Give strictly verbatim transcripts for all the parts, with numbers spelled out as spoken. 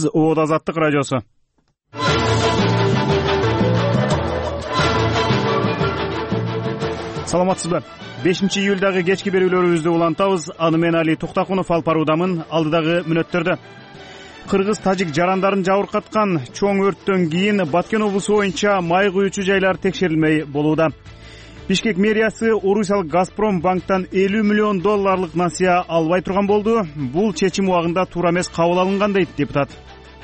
Оода Азаттык радиосу. Саламатсызбы? бешинчи июлдагы кечки берүүлөрүбүздү улантабыз. Аны мен Али Туктакунов алып баруудамын. Алдыдагы мүнөттөрдө кыргыз-тажик жарандарын жабыркаткан чоң өрттөн кийин Баткен облусу боюнча май куючу жайлар текшерилмей болууда. Бишкек мэриясы орусиялык Газпром банктан элүү миллион долларлык насыя албай турган болду. Бул чечим убагында туура эмес кабыл алынган дейт депутат.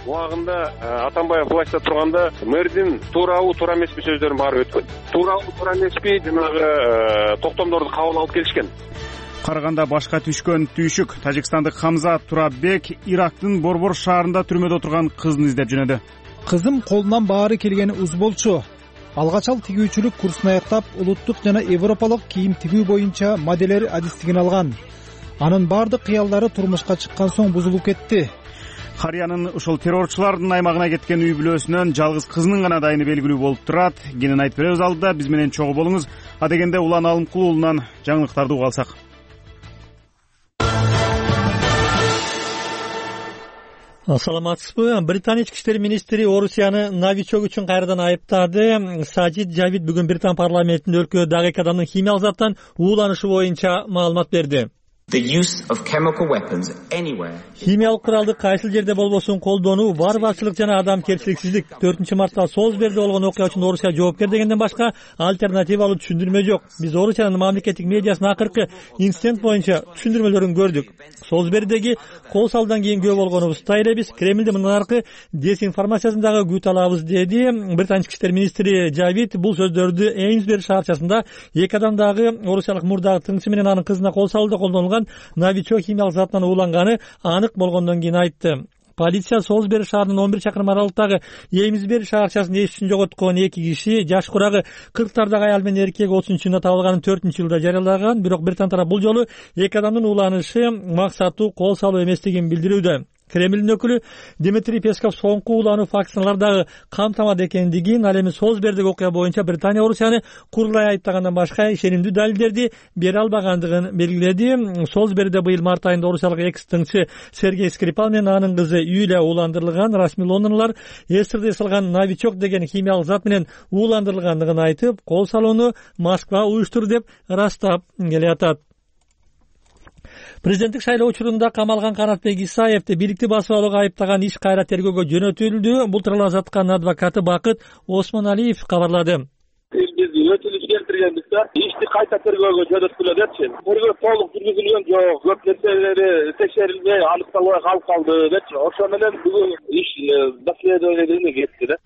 Убагында Атамбаев властьта турганда мэрдин туурабы туура эмеспи сөздөрүн баары өткөн. Туурабы туура эмеспи жанагы токтомдорду кабыл алып келишкен. Караганда башка түшкөн түйшүк. Тажикстандык Хамза Тураббек Ирактын Борбор шаарында түрмөдө турган кызын издеп жөнөдү. Кызым колунан баары келгени уз болчу. Алгачал тигүүчүлүк курсун аяктап, улуттук жана европалык кийим тигүү боюнча моделер адистигин алган. Анын баардык кыялдары турмушка чыккан соң бузулуп кетти. Карыянын ушул террорчулардын аймагына кеткен үй бүлөсүнөн жалгыз кызынын гана дайыны белгилүү болуп турат. Кенен айтып беребиз алдыда, биз менен чогуу болуңуз. Адегенде Улан Алымкул уулунан жаңылыктарды уга алсак. Саламатсызбы? Британия ички иштер министри Орусияны новичок үчүн кайрадан айыптады. Сажид Жавид бүгүн Британ парламентинде өлкөдө дагы эки адамдын химиялык заттан ууланышы боюнча маалымат берди. Химиялык куралды кайсыл жерде болбосун колдонуу варварчылык жана адамкерчиликсиздик. төртүнчү мартта Солсберде болгон окуя үчүн Орусия жоопкер дегенден башка альтернативалуу түшүндүрмө жок. Биз Орусиянын мамлекеттик медиасынын акыркы инцидент боюнча түшүндүрмөлөрүн көрдүк. Солсбердеги кол салдан кийин күбө болгонубузду элебиз. Кремлдин мындан аркы дезинформациясын дагы күтө алабыз, деди Британия ички иштер министри Жавид. Бул сөздөрдү Эймсбери шаарчасында эки адам дагы орусиялык мурдагы тыңчы менен анын кызына кол салууда колдонулган новичок химиялык заттан ууланганы анык болгондон кийин айтты. Полиция Солсбери шаарынын он бир чакырым аралыктагы Эймсбери шаарчасында эс үчүн жоготкон эки киши жаш курагы кырктардагы аял менен эркек отузунчу июнда табылганын төртүнчү жылда жарыялаган. Бирок Британ тарап бул жолу эки адамдын ууланышы максаттуу кол салуу эместигин билдирүүдө. Кремлдин өкүлү Дмитрий Песков соңку уулануу фактысына дагы камтамады экендигин, ал эми Солсбердеги окуя боюнча Британия Орусияны курулай айыптагандан башка ишенимдүү далилдерди бере албагандыгын белгиледи. Солсберде быйыл март айында орусиялык экс-тыңчы Сергей Скрипал менен анын кызы Юлия ууландырылган. Расмий Лондондулар эсирде салган новичок деген химиялык зат менен ууландырылгандыгын айтып, кол салууну Москва уюштурду деп ырастап келатат. Президенттик шайлоо учурунда камалган Канатбек Исаевди бийликти басып алууга айыптаган иш кайра тергөөгө жөнөтүлдү. Бул тууралуу Азаттыктын адвокаты Бакыт Осмоналиев кабарлады. Биз өтүнүч келтиргенбиз да, ишти кайта тергөөгө жөнөткүлө депчи. Тергөө толук жүргүзүлгөн жок, көп нерселери текшерилбей, аныкталбай калып калды депчи. Ошо менен бүгүн иш доследованиеге кетти да.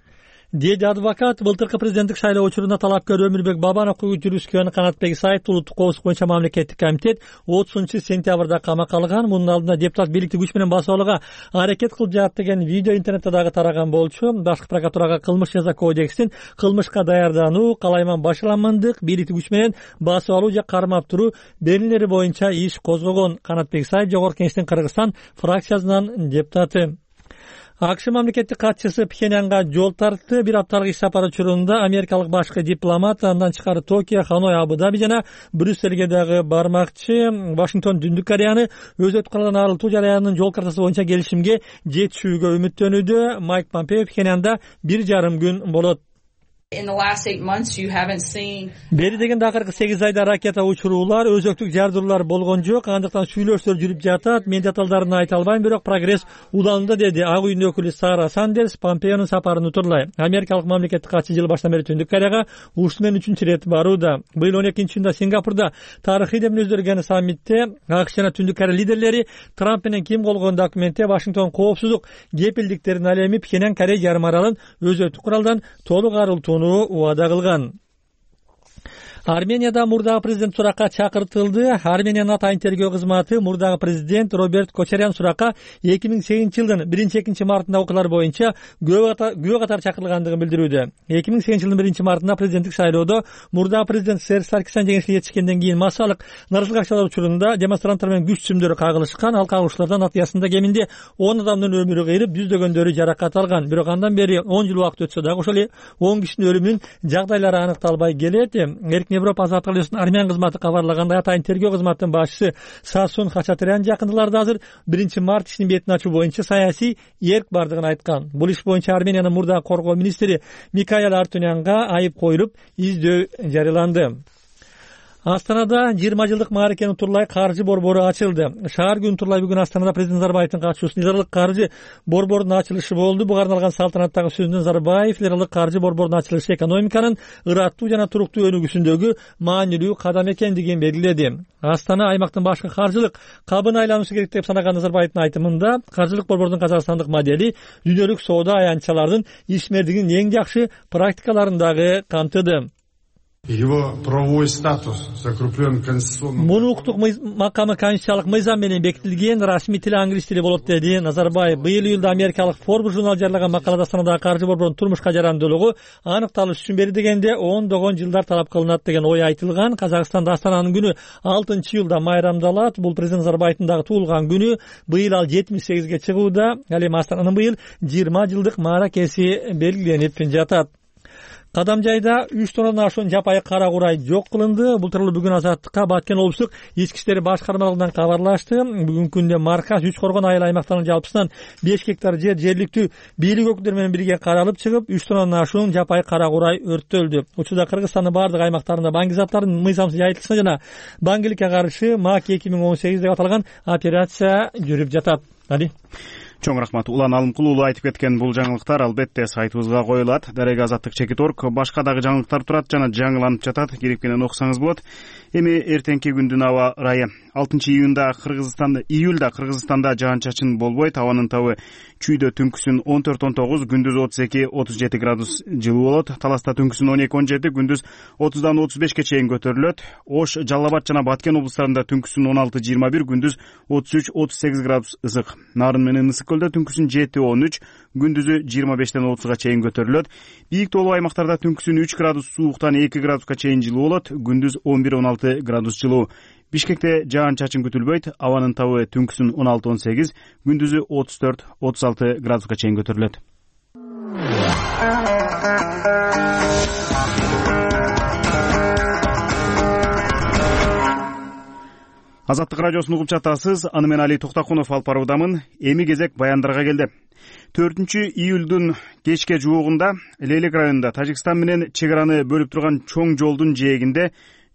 Деди адвокат. Былтыркы президенттик шайлоо учурунда талапкер Өмүрбек Бабановго жүрүшкөн Канатбек Исаев улуттук коопсуздук боюнча мамлекеттик комитет отузунчу сентябрда камакка алган. Мунун алдында депутат бийликти күч менен басып алууга аракет кылып жатат деген видео интернетте дагы тараган болчу. Башкы прокуратурага кылмыш жаза кодексин кылмышка даярдануу, калайман башаламандык, бийликти күч менен басып алуу же кармап туруу берүүлери боюнча иш козгогон. Канатбек Исаев Жогорку Кеңештин Кыргызстан фракциясынын депутаты. АКШ мамлекеттик катчысы Пхеньянга жол тартты. Бир апталык иш сапары учурунда америкалык башкы дипломат андан тышкары Токио, Ханой, Абу-Даби жана Брюссельге дагы бармакчы. Вашингтон Түндүк Кореяны өзөтүп калган арылтуу жараянын жол картасы боюнча келишимге жетишүүгө үмүттөнүүдө. Майк Помпео Пхеньянда бир жарым күн болот. Бери дегенде акыркы сегиз айда ракета учуруулар, өзөктүк жардыруулар болгон жок. Андыктан сүйлөшүүлөр жүрүп жатат. Мен деталдарын айта албайм, бирок прогресс уланууда, деди Ак үйдүн өкүлү Сара Сандерс Помпеонун сапарын утурлай. Америкалык мамлекеттик катчы жыл башынан бери Түндүк Кореяга ушул менен үчүнчү ирет барууда. Быйыл он экинчи июнда Сингапурда тарыхый деп мүнөздөлгөн саммитте АКШ жана Түндүк Корея лидерлери Трамп менен ким колгон документте Вашингтон коопсуздук кепилдиктерин ал эми Пхеньян Корея жарым аралын өзөттүк куралдан толук арылтууну убада кылган. Арменияда мурдагы президент суракка чакыртылды. Армениянын атайын тергөө кызматы мурдагы президент Роберт Кочарян суракка эки миң сегизинчи жылдын биринчи экинчи мартында окуялар боюнча күбө катары чакырылгандыгын билдирүүдө. эки миң сегизинчи жылдын биринчи мартында президенттик шайлоодо мурдагы президент Серж Саркисян жеңишке жетишкенден кийин массалык наразылык акчалар учурунда демонстранттар менен күч сүмдөрү кагылышкан. Ал кагылышуулардан натыйжасында кеминде он адамдын өмүрү кыйрып, жүздөгөндөрү жаракат алган. Бирок андан бери он жыл убакыт өтсө дагы ошол эле он кишинин өлүмүнүн жагдайлары аныкталбай келет. Эркин Европа азаттык аллеясынын армян кызматы кабарлагандай, атайын тергөө кызматынын башчысы Сасун Хачатурян жакындыларда азыр биринчи март ишин бетин ачуу боюнча саясий эрк бардыгын айткан. Бул иш боюнча Армениянын мурдагы коргоо министри Микаэл Артунянга айып коюлуп, издөө жарыяланды. Астанада жыйырма жылдык мааракенин Турлай каржы борбору ачылды. Шаар күнү Турлай бүгүн Астанада президент Назарбаевдин катышуусунда лиралык каржы борборунун ачылышы болду. Буга арналган салтанаттагы сөзүндө Назарбаев лиралык каржы борборунун ачылышы экономиканын ыраттуу жана туруктуу өнүгүүсүндөгү маанилүү кадам экендигин белгиледи. Астана аймактын башкы каржылык кабына айланушу керек деп санаган Назарбаевдин айтымында, каржылык борбордун казакстандык модели дүйнөлүк соода аянтчалардын ишмердигинин эң жакшы практикаларын дагы камтыды. Его правовой статус закреплен конституционным. Муну укуктук макамы конституциялык мыйзам менен бекитилген, расмий тили англис тили болот деди Назарбаев. Быйыл июлда америкалык Forbes журналы жарыялаган макалада Астанадагы каржы борборунун турмушка жарандуулугу аныкталыш үчүн бери дегенде ондогон жылдар талап кылынат деген ой айтылган. Казакстанда Астананын күнү алтынчы июлда майрамдалат. Бул президент Назарбаевдин дагы туулган күнү. Быйыл ал жетимиш сегизге чыгууда. Ал эми Астананын быйыл жыйырма жылдык мааракеси белгиленип жатат. Кадамжайда үч тоннадан ашуун жапайы кара курай жок кылынды. Бул тууралуу бүгүн Азаттыкка Баткен облустук ички иштер башкармалыгынан кабарлашты. Бүгүнкү күндө Марказ үч коргон айыл аймактарынын жалпысынан беш гектар жер жергиликтүү бийлик өкүлдөрү менен бирге каралып чыгып, үч тоннадан ашуун жапайы кара курай өрттөлдү. Учурда Кыргызстандын бардык аймактарында баңги заттардын мыйзамсыз жайылтылышына жана баңгиликке каршы МАК эки миң он сегиз деп аталган операция жүрүп жатат. Али Чоң рахмат. Улан Алымкулуулу айтып кеткен бул жаңылыктар албетте сайтыбызга коюлат. Дарек Азаттык чекит точка орг башка дагы жаңылыктар турат жана жаңыланып жатат. Кереккенен окусаңыз болот. Эми эртеңки күндүн аба ырайы. алтынчы июнда Кыргызстанда, июлда Кыргызстанда жаан-чачын болбойт. Абанын табы чүйдө түнкүсүн он төрт он тогуз, күндүз отуз эки отуз жети градус жылуу болот. Таласта түнкүсүн он эки он жети, күндүз отуздан отуз бешке чейин көтөрүлөт. Ош, Жалал Абад жана Баткен облустарында түнкүсүн он алты жыйырма бир, күндүз отуз үч отуз сегиз градус ысык. Нарын менен Ысык көлдө түнкүсүн жети он үч, күндүзү жыйырма бештен отузга чейин көтөрүлөт. Бийик тоолуу аймактарда түнкүсүн үч градус сууктан эки градуска чейин жылуу болот. Күндүз он бир он алты градус жылуу. Бишкекте жаан-чачын күтүлбөйт. Абанын табы түнкүсүн он алты он сегиз, күндүзү отуз төрт отуз алты градуска чейин көтөрүлөт. Азаттык радиосун угуп жатасыз. Аны мен Али Токтакунов алып баруудамын. Эми кезек баяндарга келди. төртүнчү июлдун кечке жуогунда Лейлек районунда Тажикстан менен чек араны бөлүп турган чоң жолдун жээгинде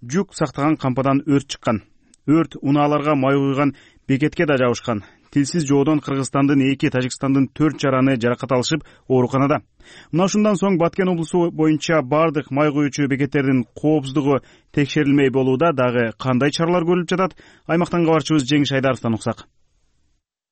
жүк сактаган кампадан өрт чыккан. Өрт унааларга май куйган бекетке да жабышкан. Тилсиз жоодон Кыргызстандын эки, Тажикстандын төрт жараны жаракат алышып ооруканада. Мына ушундан соң Баткен облусу боюнча бардык май куюучу бекеттердин коопсуздугу текшерилмей болууда. Дагы кандай чаралар көрүлүп жатат? Аймактан кабарчыбыз Жеңиш Айдаровдон уксак.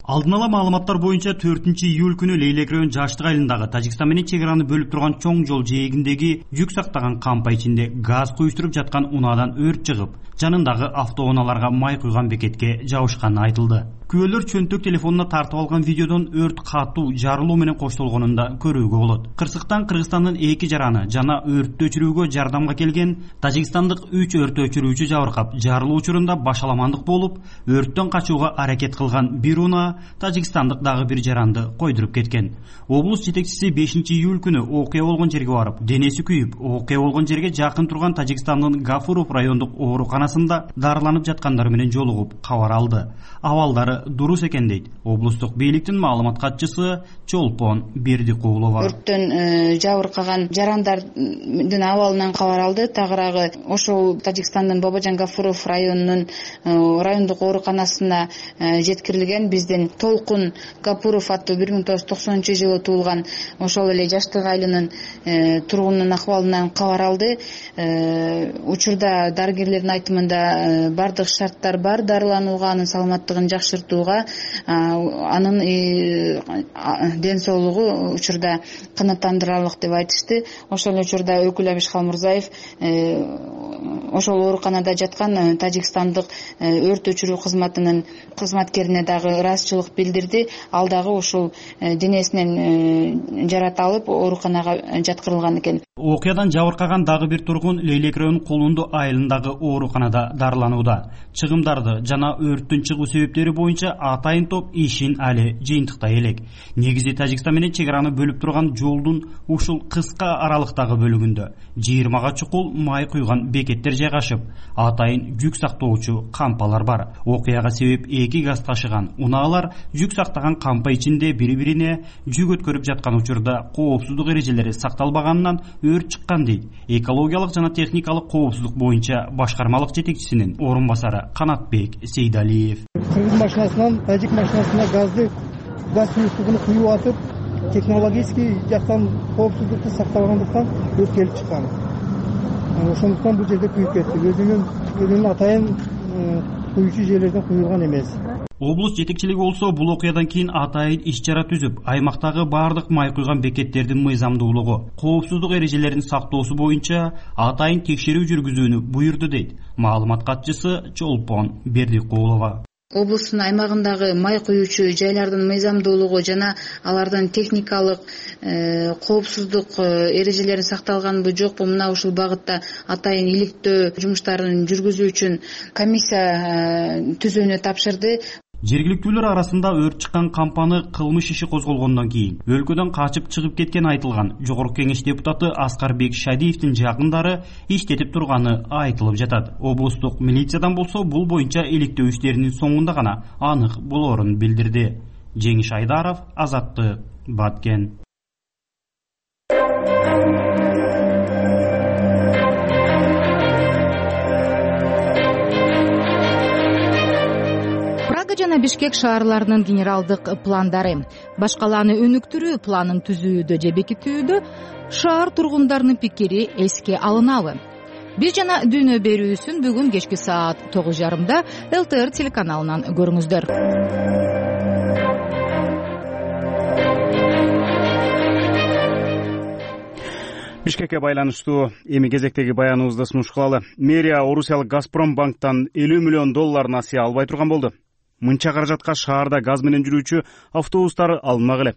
Алдын ала маалыматтар боюнча төртүнчү июль күнү Лейлек район Жаштык айылындагы Тажикстан менен чек араны бөлүп турган чоң жол жээгиндеги жүк сактаган кампа ичинде газ куюштуруп жаткан унаадан өрт чыгып, жанындагы автоунааларга май куйган бекетке жабышканы айтылды. Күбөлөр чөнтөк телефонуна тартып алган видеодон өрт катуу жарылуу менен коштолгонун да көрүүгө болот. Кырсыктан Кыргызстандын эки жараны жана өрттү өчүрүүгө жардамга келген тажикстандык үч өрт өчүрүүчү жабыркап, жарылуу учурунда башаламандык болуп, өрттөн качууга аракет кылган бир унаа тажикстандык дагы бир жаранды койдуруп кеткен. Облус жетекчиси бешинчи июль күнү окуя болгон жерге барып, денеси күйүп, окуя болгон жерге жакын турган Тажикстандын Гафуров райондук ооруканасында дарыланып жаткандар менен жолугуп кабар алды. Абалдары дурус экен дейт облустук бийликтин маалымат катчысы Чолпон Бердикулова. Өрттөн жабыркаган жарандардын абалынан кабар алды. Тагыраагы ошол Тажикстандын Бабажан Гафуров районунун райондук ооруканасына жеткирилген. Биздин Толкун Гапуров аттуу бир миң тогуз жүз токсонунчу жылы туулган ошол эле Жаштык айылынын тургунунун акыбалынан кабар алды. Учурда дарыгерлердин айтымында бардык шарттар бар дарыланууга, анын саламаттыгын жакшыртууга, анын ден соолугу учурда канааттандырарлык деп айтышты. Ошол учурда өкүл Абиш Халмурзаев ошол ооруканада жаткан Тажикстандык өрт өчүрүү кызматынын кызматкерине дагы ыраазычылык билдирди. Ал дагы ушул денесинен жарат алып ооруканага жаткырылган экен. Окуядан жабыркаган дагы бир тургун Лейлек районунун Колунду айылындагы ооруканада дарыланууда. Чыгымдарды жана өрттүн чыгуу себептери боюнча боюнча атайын топ ишин али жыйынтыктай элек. Негизи Тажикстан менен чек араны бөлүп турган жолдун ушул кыска аралыктагы бөлүгүндө жыйырмага чукул май куйган бекеттер жайгашып, атайын жүк сактоочу кампалар бар. Окуяга себеп эки газ ташыган унаалар жүк сактаган кампа ичинде бири-бирине жүк өткөрүп жаткан учурда коопсуздук эрежелери сакталбаганынан өрт чыккан дейт экологиялык жана техникалык коопсуздук боюнча башкармалык жетекчисинин орун басары Канатбек Сейдалиев. Кыргыз машинасынан тажик машинасына газды газ суюктугун куюп атып, технологический жактан коопсуздукту сактабагандыктан өрт келип чыккан. Ошондуктан бул жерде күйүп кетти. Өзүнүн өзүнүн атайын куюучу жерлерден куюлган эмес. Облус жетекчилиги болсо бул окуядан кийин атайын иш-чара түзүп, аймактагы баардык май куйган бекеттердин мыйзамдуулугу, коопсуздук эрежелерин сактоосу боюнча атайын текшерүү жүргүзүүнү буйрду дейт маалымат катчысы Чолпон Бердикулова. Облустун аймагындагы май куюучу жайлардын мыйзамдуулугу жана алардын техникалык коопсуздук эрежелери сакталганбы жокпу, мына ушул багытта атайын иликтөө жумуштарын жүргүзүү үчүн комиссия түзүүнү тапшырды. Жергиликтүүлөр арасында өрт чыккан кампаны кылмыш иши козголгондон кийин өлкөдөн качып чыгып кеткен айтылган Жогорку Кеңеш депутаты Аскарбек Шадиевдин жакындары иштетип турганы айтылып жатат. Облустук милициядан болсо бул боюнча иликтөө иштеринин соңунда гана анык болоорун билдирди. Жеңиш Айдаров, Азаттык, Баткен. жана Бишкек шаарларынын генералдык пландары башкаланы өнүктүрүү планын түзүүдө же бекитүүдө шаар тургундарынын пикири эске алынабы? Биз жана дүйнө берүүсүн бүгүн кечки саат тогуз жарымда эл тэ эр телеканалынан көрүңүздөр. Бишкекке байланыштуу эми кезектеги баяныбызды сунуш кылалы. Мэрия орусиялык Газпром банктан элүү миллион доллар насыя албай турган болду. Мынча каражатка шаарда газ менен жүрүүчү автобустар алынмак эле.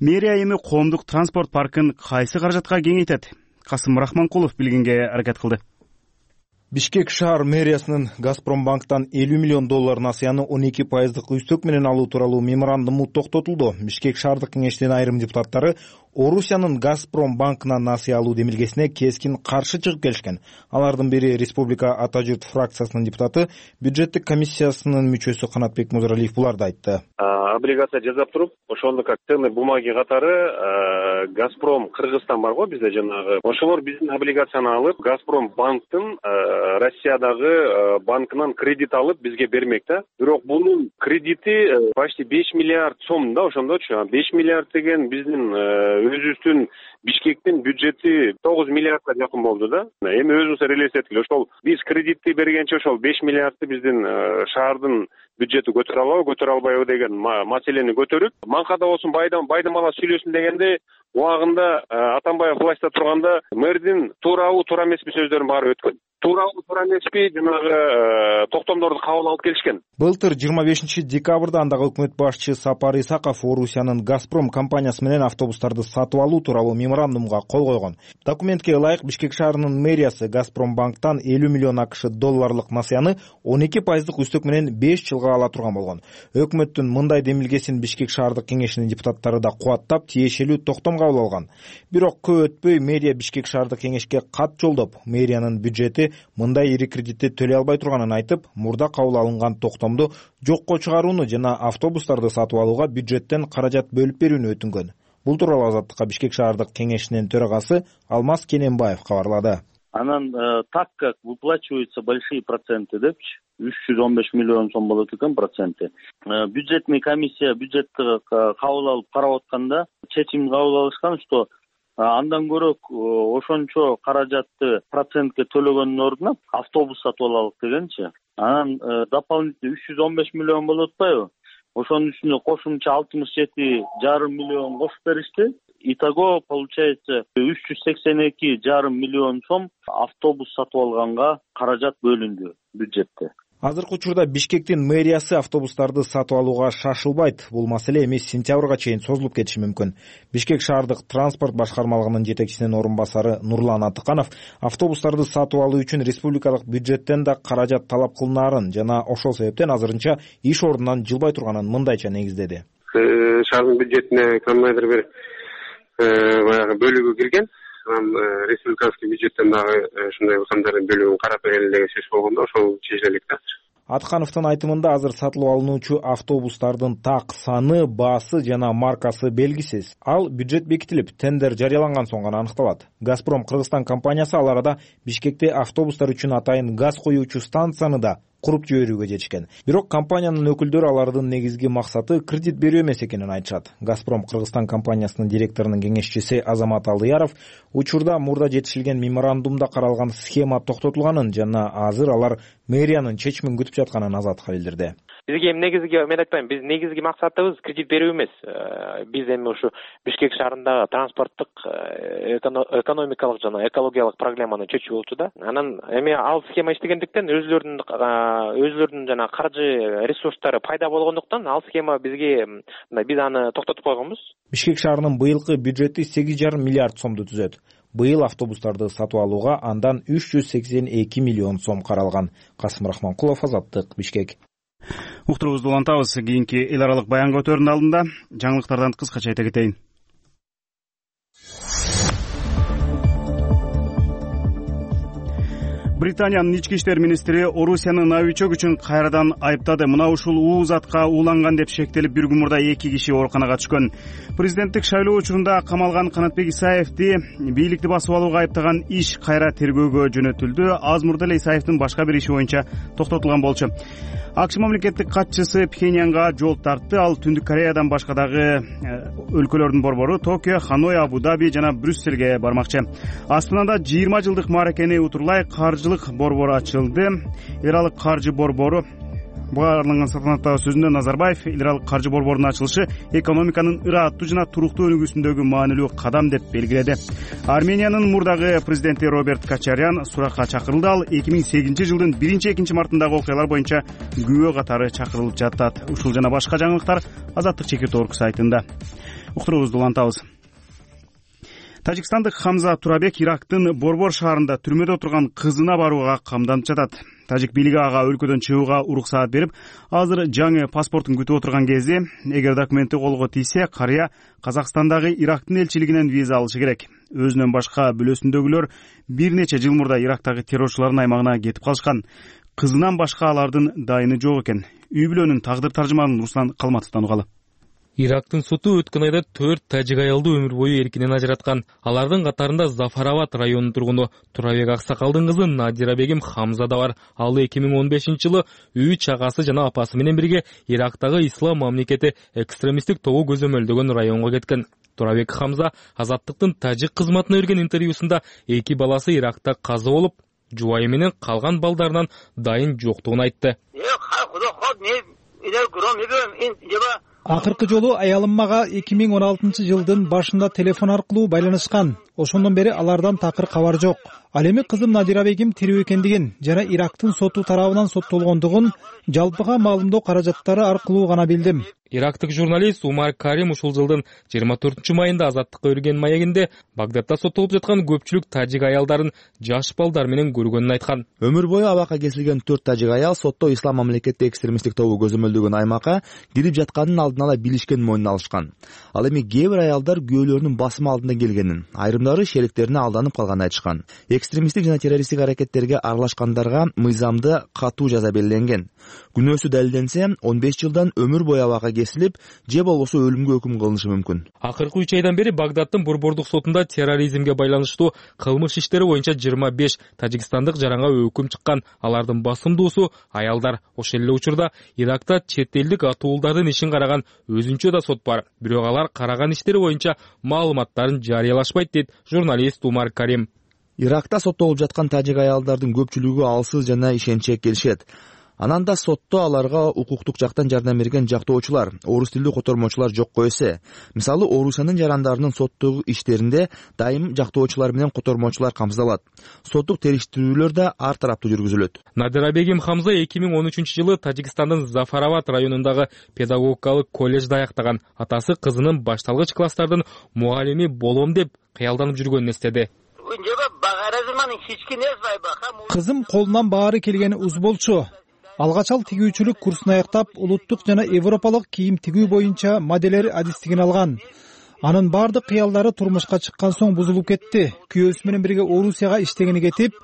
Мэрия эми коомдук транспорт паркын кайсы каражатка кеңейтет? Касым Рахманкулов билгенге аракет кылды. Бишкек шаар мэриясынын Газпром банктан элүү миллион доллар насыяны он эки пайыздык үстөк менен алуу тууралуу меморандуму токтотулду. Бишкек шаардык кеңештин айрым депутаттары Орусиянын Газпром банкынан насыя алуу демилгесине кескин каршы чыгып келишкен. Алардын бири Республика Ата журт фракциясынын депутаты, бюджеттик комиссиясынын мүчөсү Канатбек Музаралиев буларды айтты. Облигация жасап туруп, ошондо как ценный бумаги катары Газпром Кыргызстан бар го бизде жанагы. Ошолор биздин облигацияны алып, Газпром банктын Россиядагы банкынан кредит алып бизге бермек да. Бирок бунун кредити почти беш миллиард сом да, ошондочу. беш миллиард деген биздин өзүбүздүн Бишкектин бюджети тогуз миллиардка жакын болду да. Эми өзүбүз элестеткиле, ошол биз кредитти бергенче ошол беш миллиардты биздин шаардын бюджети көтөрө алабы, көтөрө албайбы деген маселени көтөрүп, манкада болсун байдан байдын бала сүйлөсүн дегенде убагында Атамбаев властьта турганда мэрдин туурабы, туура эмеспи сөздөрүн баары өткөн. Туурабы, туура эмеспи жанагы токтомдорду кабыл алып келишкен. Былтыр жыйырма бешинчи декабрда андагы өкмөт башчысы Сапар Исаков Орусиянын Газпром компаниясы менен автобустарды сатып алуу тууралуу меморандумга кол койгон. Документке ылайык Бишкек шаарынын мэриясы Газпром банктан элүү миллион акш долларлык насыяны он эки пайыздык үстөк менен беш жылга ала турган болгон. Өкмөттүн мындай демилгесин Бишкек шаардык кеңешинин депутаттары да кубаттап, тиешелүү токтом кабыл алган. Бирок көп өтпөй мэрия Бишкек шаардык кеңешке кат жолдоп, мэриянын бюджети мындай ири кредитти төлөй албай турганын айтып, мурда кабыл алынган токтомду жокко чыгарууну жана автобустарды сатып алууга бюджеттен каражат бөлүп берүүнү өтүнгөн. Бул тууралуу Азаттыкка Бишкек шаардык кеңешинин төрагасы Алмаз Кененбаев кабарлады. Анан так как выплачиваются большие проценты депчи, үч жүз он беш миллион сом болот экен проценти. Бюджетный комиссия бюджетти кабыл алып карап атканда чечим кабыл алышкан, что андан көрөк ошончо каражатты процентке төлөгөндүн ордуна автобус сатып алалык дегенчи. Анан дополнительный үч жүз он беш миллион болуп атпайбы? Ошонун үстүнө кошумча алтымыш жети жарым миллион кошуп беришти. Итого получается үч жүз сексен эки жарым миллион сом автобус сатып алганга каражат бөлүндү бюджетте. Азыркы учурда Бишкектин мэриясы автобустарды сатып алууга шашылбайт. Бул маселе эми сентябрга чейин созулуп кетиши мүмкүн. Бишкек шаардык транспорт башкармалыгынын жетекчисинин орун басары Нурлан Атыканов автобустарды сатып алуу үчүн республикалык бюджеттен да каражат талап кылынаарын жана ошол себептен азырынча иш ордунан жылбай турганын мындайча негиздеди. Шаардын бюджетине кандайдыр бир баягы бөлүгү кирген. Республикалык бюджеттен дагы ушундай кандайдыр бөлүгүн карап берели деген сөз болгондо ошол чечилет да. Аткановдун айтымында азыр сатылып алынуучу автобустардын так саны, баасы жана маркасы белгисиз. Ал бюджет бекитилип, тендер жарыяланган соң гана аныкталат. Газпром Кыргызстан компаниясы ал арада Бишкекте автобустар үчүн атайын газ коюучу станцияны да куруп жиберүүгө жетишкен. Бирок компаниянын өкүлдөрү алардын негизги максаты кредит берүү эмес экенин айтышат. Газпром Кыргызстан компаниясынын директорунун кеңешчиси Азамат Алдыяров учурда мурда жетишилген меморандумда каралган схема токтотулганын жана азыр алар мэриянын чечимин күтүп жатканын Азатка билдирди. Бизге эми негизги мен айтпайм, биз негизги максатыбыз кредит берүү эмес. Биз эми ушу Бишкек шаарындагы транспорттук, экономикалык жана экологиялык проблеманы чечүү болчу да. Анан эми ал схема иштегендиктен өзлөрүнүн өзлөрүнүн жана каржы ресурстары пайда болгондуктан ал схема бизге биз аны токтотуп койгонбуз. Бишкек шаарынын быйылкы бюджети сегиз жарым миллиард сомду түзөт. Быйыл автобустарды сатып алууга андан үч жүз сексен эки миллион сом каралган. Касым Рахманкулов, Азаттык, Бишкек. Уктурубузду улантабыз. Кийинки эл аралык баянга өтөрүнүн алдында жаңылыктардан кыскача айта кетейин. Британиянын ички иштер министри Орусияны новичок үчүн кайрадан айыптады. Мына ушул уу затка ууланган деп шектелип бир күн мурда эки киши ооруканага түшкөн. Президенттик шайлоо учурунда камалган Канатбек Исаевди бийликти басып алууга айыптаган иш кайра тергөөгө жөнөтүлдү. Аз мурда эле Исаевдин башка бир иши боюнча токтотулган болчу. АКШ мамлекеттик катчысы Пхеньянга жол тартты. Ал Түндүк Кореядан башка дагы өлкөлөрдүн борбору Токио, Ханой, Абу-Даби жана Брюсселге бармакчы. Астанада жыйырма жылдык мааракени утурлай каржылык борбор ачылды. Эл аралык каржы борбору баарланган салтанаттагы сөзүндө Назарбаев эл аралык каржы борборунун ачылышы экономиканын ырааттуу жана туруктуу өнүгүүсүндөгү маанилүү кадам деп белгиледи. Армениянын мурдагы президенти Роберт Кочарян суракка чакырылды. Ал эки миң сегизинчи жылдын биринчи экинчи мартындагы окуялар боюнча күбө катары чакырылып жатат. Ушул жана башка жаңылыктар Азаттык чекит орг сайтында. Уктурубузду улантабыз. Тажикстандык Хамза Турабек Ирактын Борбор шаарында түрмөдө турган кызына барууга камданып жатат. Тажик бийлиги ага өлкөдөн чыгууга уруксаат берип, азыр жаңы паспортун күтүп отурган кезде, эгер документи колго тийсе, карыя Казакстандагы Ирактын элчилигинен виза алышы керек. Өзүнөн башка бүлөсүндөгүлөр бир нече жыл мурда Ирактагы террорчулардын аймагына кетип калышкан. Кызынан башка алардын дайыны жок экен. Үй бүлөнүн тагдыр таржыманын Руслан Калматовдон угалы. Ирактын соту өткөн айда төрт тажик аялды өмүр бою эркинен ажыраткан. Алардын катарында Зафарабад районунун тургуну Турабек Аксакалдын кызы Надира Бегим Хамза да бар. Ал эки миң он бешинчи жылы үч агасы жана апасы менен бирге Ирактагы Ислам мамлекети экстремисттик тобу көзөмөлдөгөн районго кеткен. Турабек Хамза Азаттыктын тажик кызматына берген интервьюсунда эки баласы Иракта каза болуп, жубайы менен калган балдарынан дайын жоктугун айтты. Акыркы жолу аялым мага эки миң он алтынчы жылдын башында телефон аркылуу байланышкан. Ошондон бери алардан такыр кабар жок. Ал эми кызым Надира Бегим тирүү экендигин жана Ирактын соту тарабынан соттолгондугун жалпыга маалымдоо каражаттары аркылуу гана билдим. Ирактык журналист Умар Карим ушул жылдын жыйырма төртүнчү майында Азаттыкка берген маегинде Багдадда соттолуп жаткан көпчүлүк тажик аялдарын жаш балдар менен көргөнүн айткан. Өмүр бою абакка кесилген төрт тажик аял сотто Ислам мамлекети экстремисттик тобу көзөмөлдөгөн аймакка кирип жатканын алдын ала билишкен мойнуна алышкан. Ал эми кээ бир аялдар күйөөлөрүнүн басымы алдында келгенин, айрымдары шериктерине алданып калганын айтышкан. Экстремисттик жана террористтик аракеттерге аралашкандарга мыйзамды катуу жаза белгиленген. Күнөөсү далилденсе, он беш жылдан өмүр бою абакка кесилип, же болбосо өлүмгө өкүм кылынышы мүмкүн. Акыркы үч айдан бери Багдаддын борбордук сотунда терроризмге байланыштуу кылмыш иштери боюнча жыйырма беш тажикстандык жаранга өкүм чыккан. Алардын басымдуусу аялдар. Ошол эле учурда Иракта чет элдик атуулдардын ишин караган өзүнчө да сот бар. Бирок алар караган иштери боюнча маалыматтарын жарыялашпайт дейт журналист Умар Карим. Иракта соттолуп жаткан тажик аялдардын көпчүлүгү алсыз жана ишенчке келишет. Анан да сотто аларга укуктук жактан жардам берген жактоочулар, орус тилдүү котормочулар жокко эсе. Мисалы, Орусиянын жарандарынын соттогу иштеринде дайым жактоочулар менен котормочулар камсыздалат. Соттук териштирүүлөр да ар тараптуу жүргүзүлөт. Надирабегим Хамза эки миң он үчүнчү жылы Тажикстандын Зафарават районундагы педагогикалык колледжди аяктаган. Атасы кызынын башталгыч класстардын мугалими болом деп кыялданып жүргөнүн эстеди. Кызым колунан баары келгени уз болчу. Алгач ал тигүүчүлүк курсун аяктап, улуттук жана европалык кийим тигүү боюнча моделер адистигин алган. Анын бардык кыялдары турмушка чыккан соң бузулуп кетти. Күйөөсү менен бирге Орусияга иштегени кетип,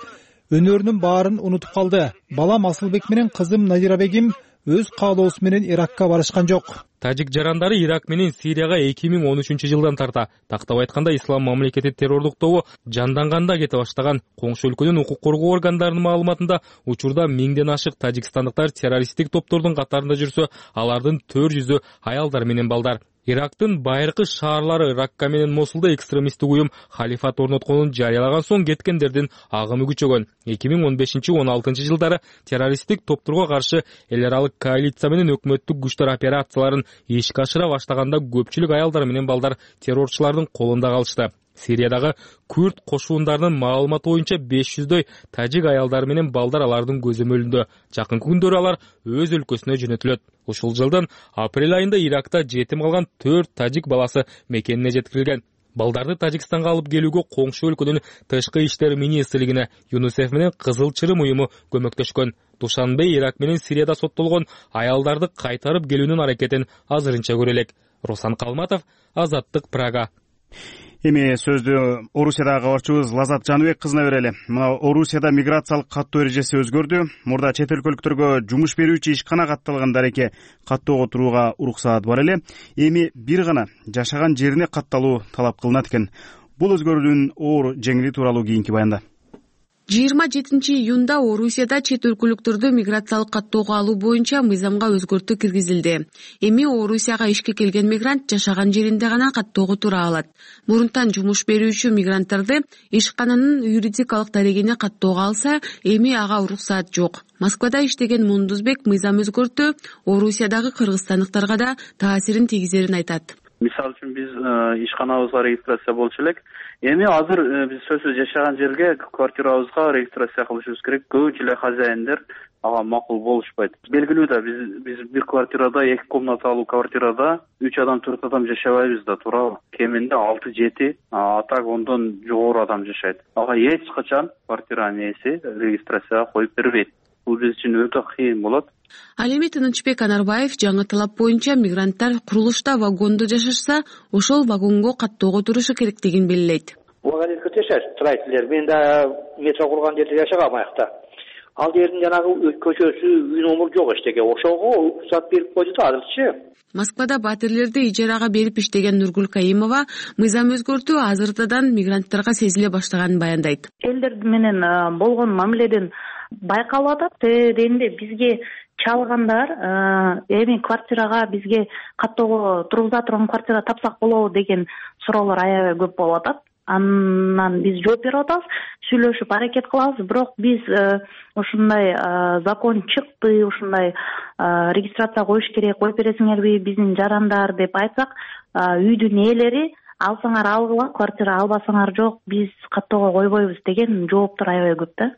өнөрүнүн баарын унутуп калды. Балам Асылбек менен кызым Надирабегим өз каалоосу менен Иракка барышкан жок. Тажик жарандары Ирак менен Сирияга эки миң он үчүнчү жылдан тарта, тактап айтканда Ислам мамлекети террорлук тобу жанданганда кете баштаган. Коңшу өлкөнүн укук коргоо органдарынын маалыматында учурда миңден ашык тажикстандыктар террористтик топтордун катарында жүрсө, алардын төрт жүзү аялдар менен балдар. Ирактын байыркы шаарлары Ракка менен Мосулда экстремисттик уюм халифат орнотконун жарыялаган соң кеткендердин агымы күчөгөн. эки миң он бешинчи он алтынчы жылдары террористтик топторго каршы эл аралык коалиция менен өкмөттүк күчтөр операцияларын ишке ашыра баштаганда көпчүлүк аялдар менен балдар террорчулардын колунда калышты. Сириядагы Күрд кошуундарынын маалыматы боюнча беш жүздөй тажик аялдары менен балдар алардын көзөмөлүндө. Жакынкы күндөрү алар өз өлкөсүнө жөнөтүлөт. Ушул жылдын апрель айында Иракта жетим калган төрт тажик баласы мекенине жеткирилген. Балдарды Тажикстанга алып келүүгө коңшу өлкөнүн тышкы иштер министрлигине ЮНИСЕФ менен Кызыл Чырым уюму көмөктөшкөн. Душанбе Ирак менен Сирияда соттолгон аялдарды кайтарып келүүнүн аракетин азырынча көрө элек. Руслан Калматов, Азаттык, Прага. Эми сөздү Орусиядагы кабарчыбыз Лазат Жаныбек кызына берели. Мына Орусияда миграциялык каттоо эрежеси өзгөрдү. Мурда чет өлкөлүктөргө жумуш берүүчү ишкана катталган дареке каттоого турууга уруксаат бар эле. Эми бир гана жашаган жерине катталуу талап кылынат экен. Бул өзгөрүүнүн оор жеңили тууралуу кийинки баянда. жыйырма жетинчи июнда Орусияда чет өлкөлүктөрдү миграциялык каттоого алуу боюнча мыйзамга өзгөртүү киргизилди. Эми Орусияга ишке келген мигрант жашаган жеринде гана каттоого тура алат. Мурунтан жумуш берүүчү мигранттарды ишкананын юридикалык дарегине каттоого алса, эми ага уруксаат жок. Москвада иштеген Мундузбек мыйзам өзгөртүү Орусиядагы кыргызстандыктарга да таасирин тийгизерин айтат. Мисалы үчүн биз ишканабызга регистрация болчу элек. Эми азыр биз сөзсүз жашаган жерге квартирабызга регистрация кылышыбыз керек. Көбүнчө эле хозяиндер ага макул болушпайт. Белгилүү да биз биз бир квартирада, эки комнаталуу квартирада үч адам, төрт адам жашабайбыз да, туурабы? Кеминде алты жети, а так ондон жогору адам жашайт. Ага эч качан квартиранын ээси регистрацияга коюп бербейт. Бул биз үчүн өтө кыйын болот. Ал эми Тынычбек Анарбаев жаңы талап боюнча мигранттар курулушта вагондо жашашса, ошол вагонго каттоого турушу керектигин белгилейт. Вагонетке жашайт, строительдер. Мен да метро курган жерде жашагам аякта. Ал жердин жанагы көчөсү, үй номер жок эчтеке. Ошого уруксат берип койду да азырчы. Москвада батирлерди ижарага берип иштеген Нургул Каимова мыйзам өзгөртүү азыртадан мигранттарга сезиле баштаганын баяндайт. Элдер менен болгон мамиледен байкалып атат. Дегенде бизге чалгандар эми квартирага бизге каттоого тургуза турган квартира тапсак болобу деген суроолор аябай көп болуп атат. Андан биз жооп берип атабыз, сүйлөшүп аракет кылабыз, бирок биз ушундай закон чыкты, ушундай регистрация коюш керек, коюп бересиңерби биздин жарандар деп айтсак, үйдүн ээлери алсаңар алгыла, квартира албасаңар жок, биз каттоого койбойбуз деген жооптор аябай көп да.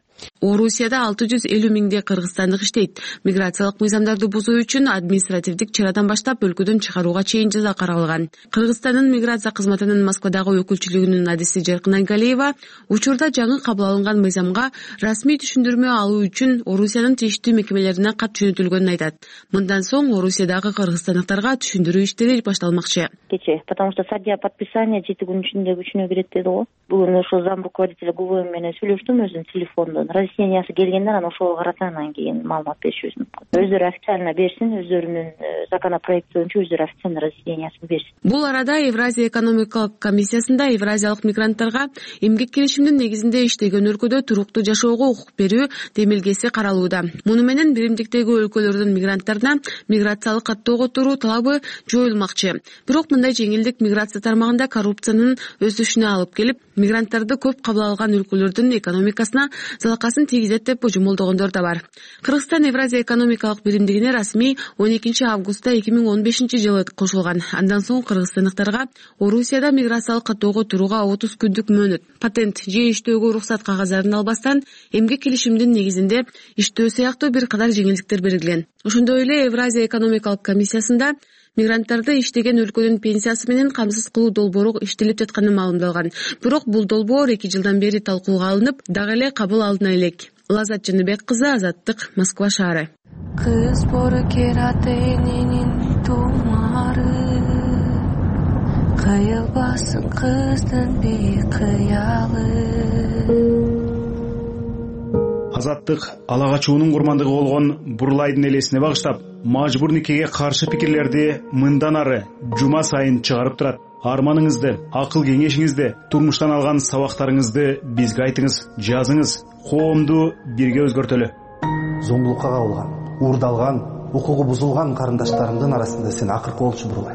Орусияда алты жүз элүү миңдей кыргызстандык иштейт. Миграциялык мыйзамдарды бузуу үчүн административдик чарадан баштап өлкөдөн чыгарууга чейин жаза каралган. Кыргызстандын миграция кызматынын Москвадагы өкүлчүлүгүнүн адиси Жаркын Айгалиева учурда жаңы кабыл алынган мыйзамга расмий түшүндүрмө алуу үчүн Орусиянын тийиштүү мекемелерине кат жөнөтүлгөнүн айтат. Мындан соң Орусиядагы кыргызстандыктарга түшүндүрүү иштери башталмакчы. Кече, потому что стадия подписания жети күн ичинде күчүнө кирет деди го. Бүгүн ошо зам руководителя ГУВМ менен сүйлөштүм өзүнүн телефондон. Разъяснениясы келгенде анан ошого карата анан кийин маалымат беришибиз мүмкүн. Өздөрү официально берсин, өздөрүнүн законопроект боюнча өздөрү официально разъяснениясын берсин. Бул арада Евразия экономикалык комиссиясында евразиялык мигранттарга эмгек келишиминин негизинде иштеген өлкөдө туруктуу жашоого укук берүү демилгеси каралууда. Муну менен биримдиктеги өлкөлөрдүн мигранттарына миграциялык каттоого туруу талабы жоюлмакчы. Бирок мындай жеңилдик миграция тармагында коррупциянын өсүшүнө алып келип, мигранттарды көп кабыл алган өлкөлөрдүн экономикасына залал жалакасын тийгизет деп божомолдогондор да бар. Кыргызстан Евразия экономикалык биримдигине расмий он экинчи августта эки миң он бешинчи жылы кошулган. Андан соң кыргызстандыктарга Орусияда миграциялык каттоого турууга отуз күндүк мөөнөт, патент же иштөөгө уруксат кагаздарын албастан эмгек келишимдин негизинде иштөө сыяктуу бир катар жеңилдиктер берилген. Ошондой эле Евразия экономикалык комиссиясында мигранттарды иштеген өлкөнүн пенсиясы менен камсыз кылуу долбоору иштелип жатканы маалымдалган. Бирок бул долбоор эки жылдан бери талкууга алынып, дагы эле кабыл алына элек. Лазат Жаныбек кызы, Азаттык, Москва шаары. Кыз бору кератенинин тумары, кыйылбасын кыздын бейкыялы. Азаттык ала качуунун курмандыгы болгон Бурлайдын элесине багыштап, мажбур никеге каршы пикирлерди мындан ары жума сайын чыгарып турат. Арманыңызды, акыл кеңешиңизди, турмуштан алган сабактарыңызды бизге айтыңыз, жазыңыз. Коомду бирге өзгөртөлү. Зомбулукка кабылган, уурдалган, укугу бузулган карындаштарымдын арасында сен акыркы болчу Бурлай.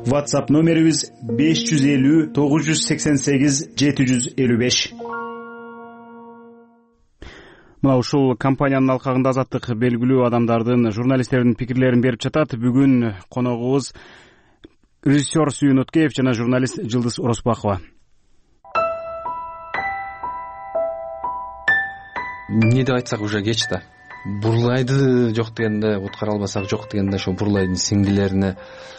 WhatsApp номерибиз беш жүз элүү тогуз жүз сексен сегиз жети жүз элүү беш. Мына ушул компаниянын алкагында Азаттык белгилүү адамдардын, журналисттердин пикирлерин берип жатат. Бүгүн коногубуз режиссер Сүйүн Өткеев жана журналист Жылдыз Ороспакова. Эмне деп айтсак уже кеч да. Бурлайды жок дегенде, уткара албасак жок дегенде, ошо Бурлайдын сиңдилерине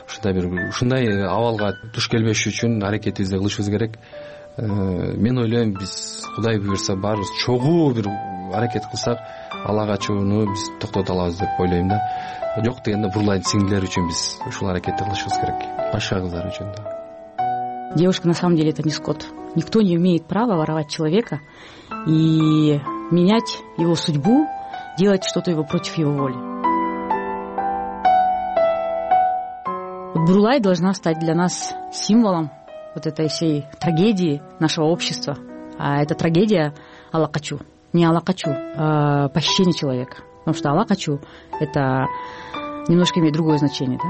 ушундай бир ушундай абалга туш келбеш үчүн аракетибизди кылышыбыз керек. Мен ойлойм, биз Кудай буйрса баарыбыз чогуу бир аракет кылсак, ала качууну биз токтото алабыз деп ойлойм да. Жок дегенде Бурлайдын сиңдилери үчүн биз ушул аракетти кылышыбыз керек. Башка кыздар үчүн да. Девушка на самом деле это не скот. Никто не имеет права воровать человека и менять его судьбу, делать что-то его против его воли. Вот Бурлай должна стать для нас символом вот этой всей трагедии нашего общества. А эта трагедия алакачу. Не алакачу, а похищение человека. Потому что алакачу — это немножко имеет другое значение, да?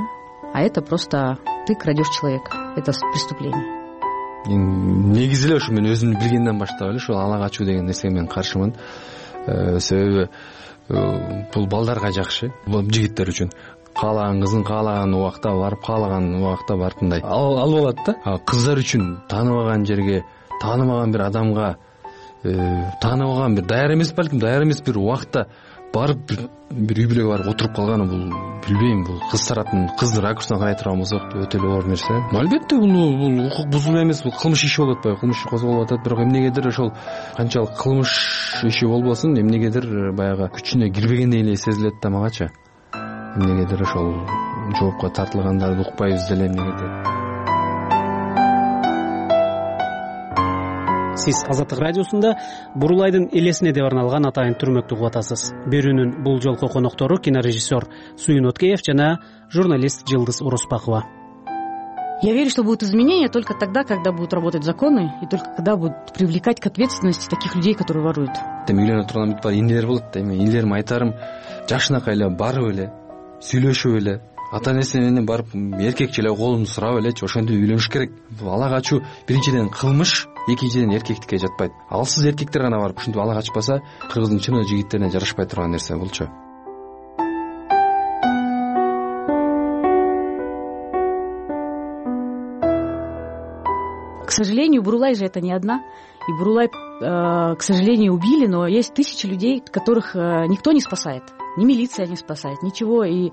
А это просто ты крадешь человека. Это преступление. Негизи эле ушу мен өзүм билгенден баштап эле ушул ала качуу деген нерсеге мен каршымын. Себеби бул балдарга жакшы, бул жигиттер үчүн. Каалаган кызын каалаган убакта барып, каалаган убакта барып мындай алып алат да. Кыздар үчүн тааныбаган жерге, тааныбаган бир адамга, тааныбаган бир даяр эмес, балким даяр эмес бир убакта барып бир үй бүлөгө барып отуруп калганы, бул билбейм, бул кыз тараптын, кыздын ракурсунан карай турган болсок өтө эле оор нерсе. Албетте бул бул укук бузулуу эмес, бул кылмыш иши болуп атпайбы? Кылмыш иши козголуп атат, бирок эмнегедир ошол канчалык кылмыш иши болбосун, эмнегедир баягы күчүнө кирбегендей эле сезилет да магачы. Эмнегедир ошол жоопко тартылгандарды укпайбыз деле эмнегедир. Сиз Азаттык радиосунда Бурлайдын элесине деп арналган атайын түрмөктү угуп атасыз. Берүүнүн бул жолку коноктору кинорежиссер Сүйүн Өткеев жана журналист Жылдыз Ороспакова. Я верю, что будут изменения только тогда, когда будут работать законы, и только когда будут привлекать к ответственности таких людей, которые воруют. Эми үйлөнө турган бүт бар инелер болот да. Эми инелериме айтарым, жашынакай эле барып эле, сүйлөшүп эле, ата энеси менен барып эркекче эле колунду сурап элечи, ошентип үйлөнүш керек. Ала качуу биринчиден кылмыш, экинчиден эркектикке жатпайт. Алсыз эркектер гана барып ушинтип ала качпаса, кыргыздын чын жигиттерине жарашпай турган нерсе булчу. К сожалению, Бурлай же это не одна. И Бурлай, э, к сожалению, убили, но есть тысячи людей, которых э, никто не спасает. Ни милиция не спасает, ничего. И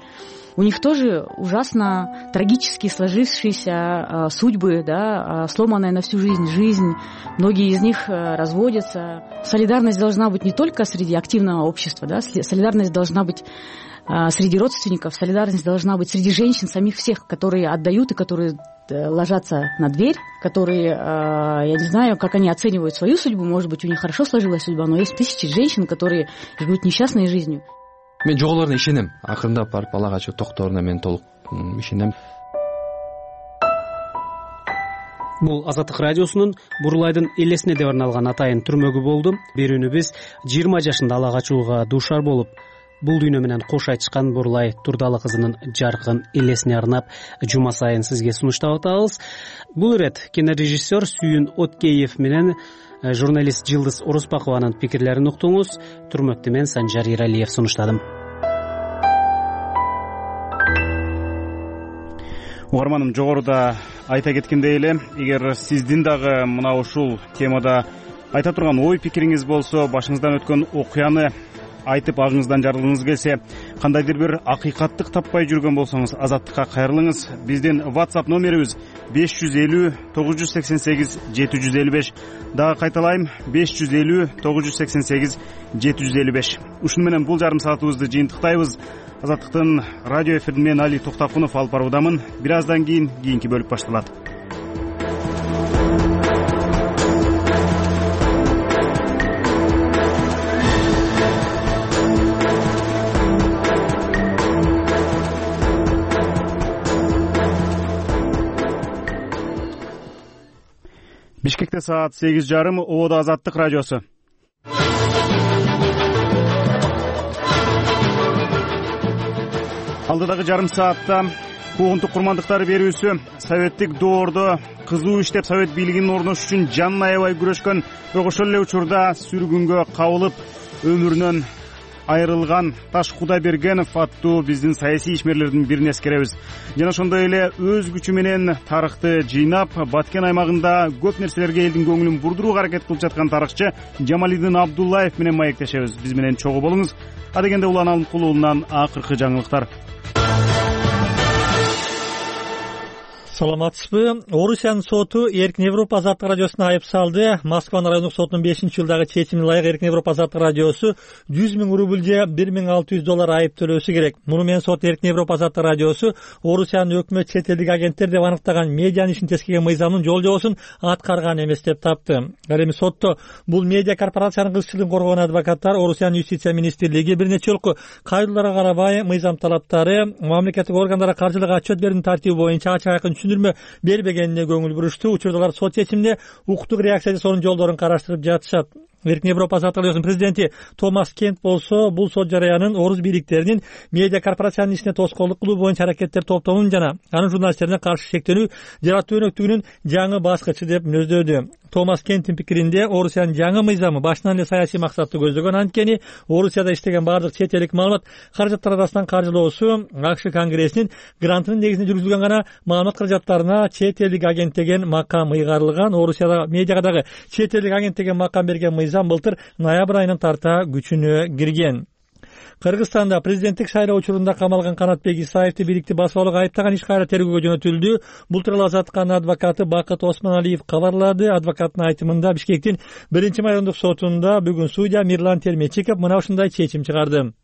у них тоже ужасно трагически сложившиеся э, судьбы, да, э, сломанная на всю жизнь жизнь. Многие из них э, разводятся. Солидарность должна быть не только среди активного общества, да, солидарность должна быть э, среди родственников, солидарность должна быть среди женщин, самих всех, которые отдают и которые ложатся на дверь, которые, я не знаю, как они оценивают свою судьбу, может быть, у них хорошо сложилась судьба, но есть тысячи женщин, которые живут несчастной жизнью. Мен жоголоруна ишенем. Акырындап барып ала качуу токтооруна мен толук ишенем. Бул Азаттык радиосунун Бурлайдын элесине деп арналган атайын түрмөгү болду. Берүүнү биз жыйырма жашында ала качууга дуушар болуп, бул дүйнө менен кош айтышкан Бурлай Турдалы кызынын жаркын элесине арнап жума сайын сизге сунуштап атабыз. Бул ирет кинорежиссер Сүйүн Өткеев менен журналист Жылдыз Орусбакованын пикирлерин уктуңуз. Түрмөктү мен Санжар Иралиев сунуштадым. Угарманым, жогоруда айта кеткендей эле, эгер сиздин дагы мына ушул темада айта турган ой пикириңиз болсо, башыңыздан өткөн окуяны айтып агыңыздан жарылгыңыз келсе, кандайдыр бир акыйкаттык таппай жүргөн болсоңуз, Азаттыкка кайрылыңыз. Биздин WhatsApp номерибиз беш жүз элүү тогуз жүз сексен сегиз жети жүз элүү беш. Дагы кайталайм, беш жүз элүү тогуз жүз сексен сегиз жети жүз элүү беш. Ушуну менен бул жарым саатыбызды жыйынтыктайбыз. Азаттыктын радио эфирин мен Али Токтакунов алып баруудамын. Бир аздан кийин кийинки бөлүк башталат. Бишкекте саат сегиз жарым, Ободо Азаттык радиосу. Алдыдагы жарым саатта куугунтук курмандыктары берүүсү, советтик доордо кызуу иштеп совет бийлигинин орношу үчүн жанын аябай күрөшкөн, бирок ошол эле учурда сүргүнгө кабылып өмүрүнөн айрылган Таш Кудайбергенов аттуу биздин саясий ишмерлердин бирин эскеребиз. Жана ошондой эле өз күчү менен тарыхты жыйнап, Баткен аймагында көп нерселерге элдин көңүлүн бурдурууга аракет кылып жаткан тарыхчы Жамалидин Абдуллаев менен маектешебиз. Биз менен чогуу болуңуз. Адегенде Улан Алымкул уулунан акыркы жаңылыктар. Саламатсызбы? Орусиянын соту Эркин Европа Азаттык радиосуна айып салды. Москванын райондук сотунун бешинчи жылдагы чечимине ылайык Эркин Европа Азаттык радиосу жүз миң рубль же бир миң алты жүз доллар айып төлөшү керек. Муну менен сот Эркин Европа Азаттык радиосу Орусиянын өкмөт чет элдик агенттер деп аныктаган медианын ишин тескеген мыйзамдын жол-жобосун аткарган эмес деп тапты. Ал эми сотто бул медиа корпорациянын кызыкчылыгын коргогон адвокаттар Орусиянын юстиция министрлиги бир нече жолку кайрылууларга карабай мыйзам талаптары, мамлекеттик органдарга каржылык отчет берүүнүн тартиби боюнча ачык айкын түшүндүрмө бербегенине көңүл бурушту. Учурдагылар сот чечимине укуктук реакция жасоонун жолдорун караштырып жатышат. Эркин Европа Азаттык радиосунун президенти Томас Кент болсо, бул сот жараянын орус бийликтеринин медиа корпорациянын ишине тоскоолдук кылуу боюнча аракеттер топтоонун жана анын журналисттерине каршы шектенүү жараттуу өнөктүгүнүн жаңы баскычы деп мүнөздөдү. Томас Кенттин пикиринде, Орусиянын жаңы мыйзамы башынан эле саясий максатты көздөгөн, анткени Орусияда иштеген бардык чет элдик маалымат каражаттар арасынан каржылоосу АКШ Конгрессинин грантынын негизинде жүргүзүлгөн гана маалымат каражаттарына чет элдик агент деген макам ыйгарылган. Орусияда медиага дагы чет элдик агент деген макам берген мыйзам былтыр ноябрь айынан тарта күчүнө кирген. Кыргызстанда президенттик шайлоо учурунда камалган Канатбек Исаевди бийликти басып алууга айыптаган иш кайра тергөөгө жөнөтүлдү. Бул тууралуу Азаттыктын адвокаты Бакыт Осмоналиев кабарлады. Адвокаттын айтымында Бишкектин биринчи майондук сотунда бүгүн судья Мирлан Термечиков мына ушундай чечим чыгарды.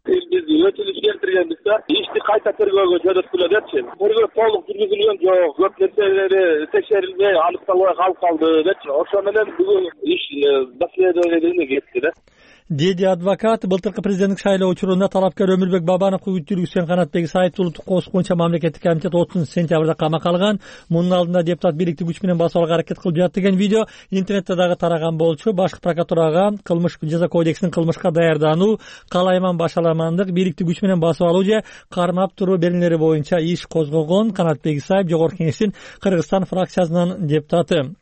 Биз өтүнүч келтиргенбиз да, ишти кайта тергөөгө жөнөткүлө депчи. Тергөө толук жүргүзүлгөн жок, көп нерселери текшерилбей, аныкталбай калып калды депчи. Ошо менен бүгүн иш доследованиеге кетти да. Деди адвокат. Былтыркы президенттик шайлоо учурунда талапкер Өмүрбек Бабановго үтүргүзгөн Канатбек Исаевди улуттук коопсуздук боюнча мамлекеттик комитет отузунчу сентябрда камакка алган. Мунун алдында депутат бийликти күч менен басып алууга аракет кылып жатты деген видео интернетте дагы тараган болчу. Башкы прокуратурага кылмыш жаза кодексинин кылмышка даярдануу, калайман башаламандык, бийликти күч менен басып алуу же кармап туруу беренелери боюнча иш козгогон Канатбек Исаев Жогорку Кеңештин Кыргызстан фракциясынын депутаты.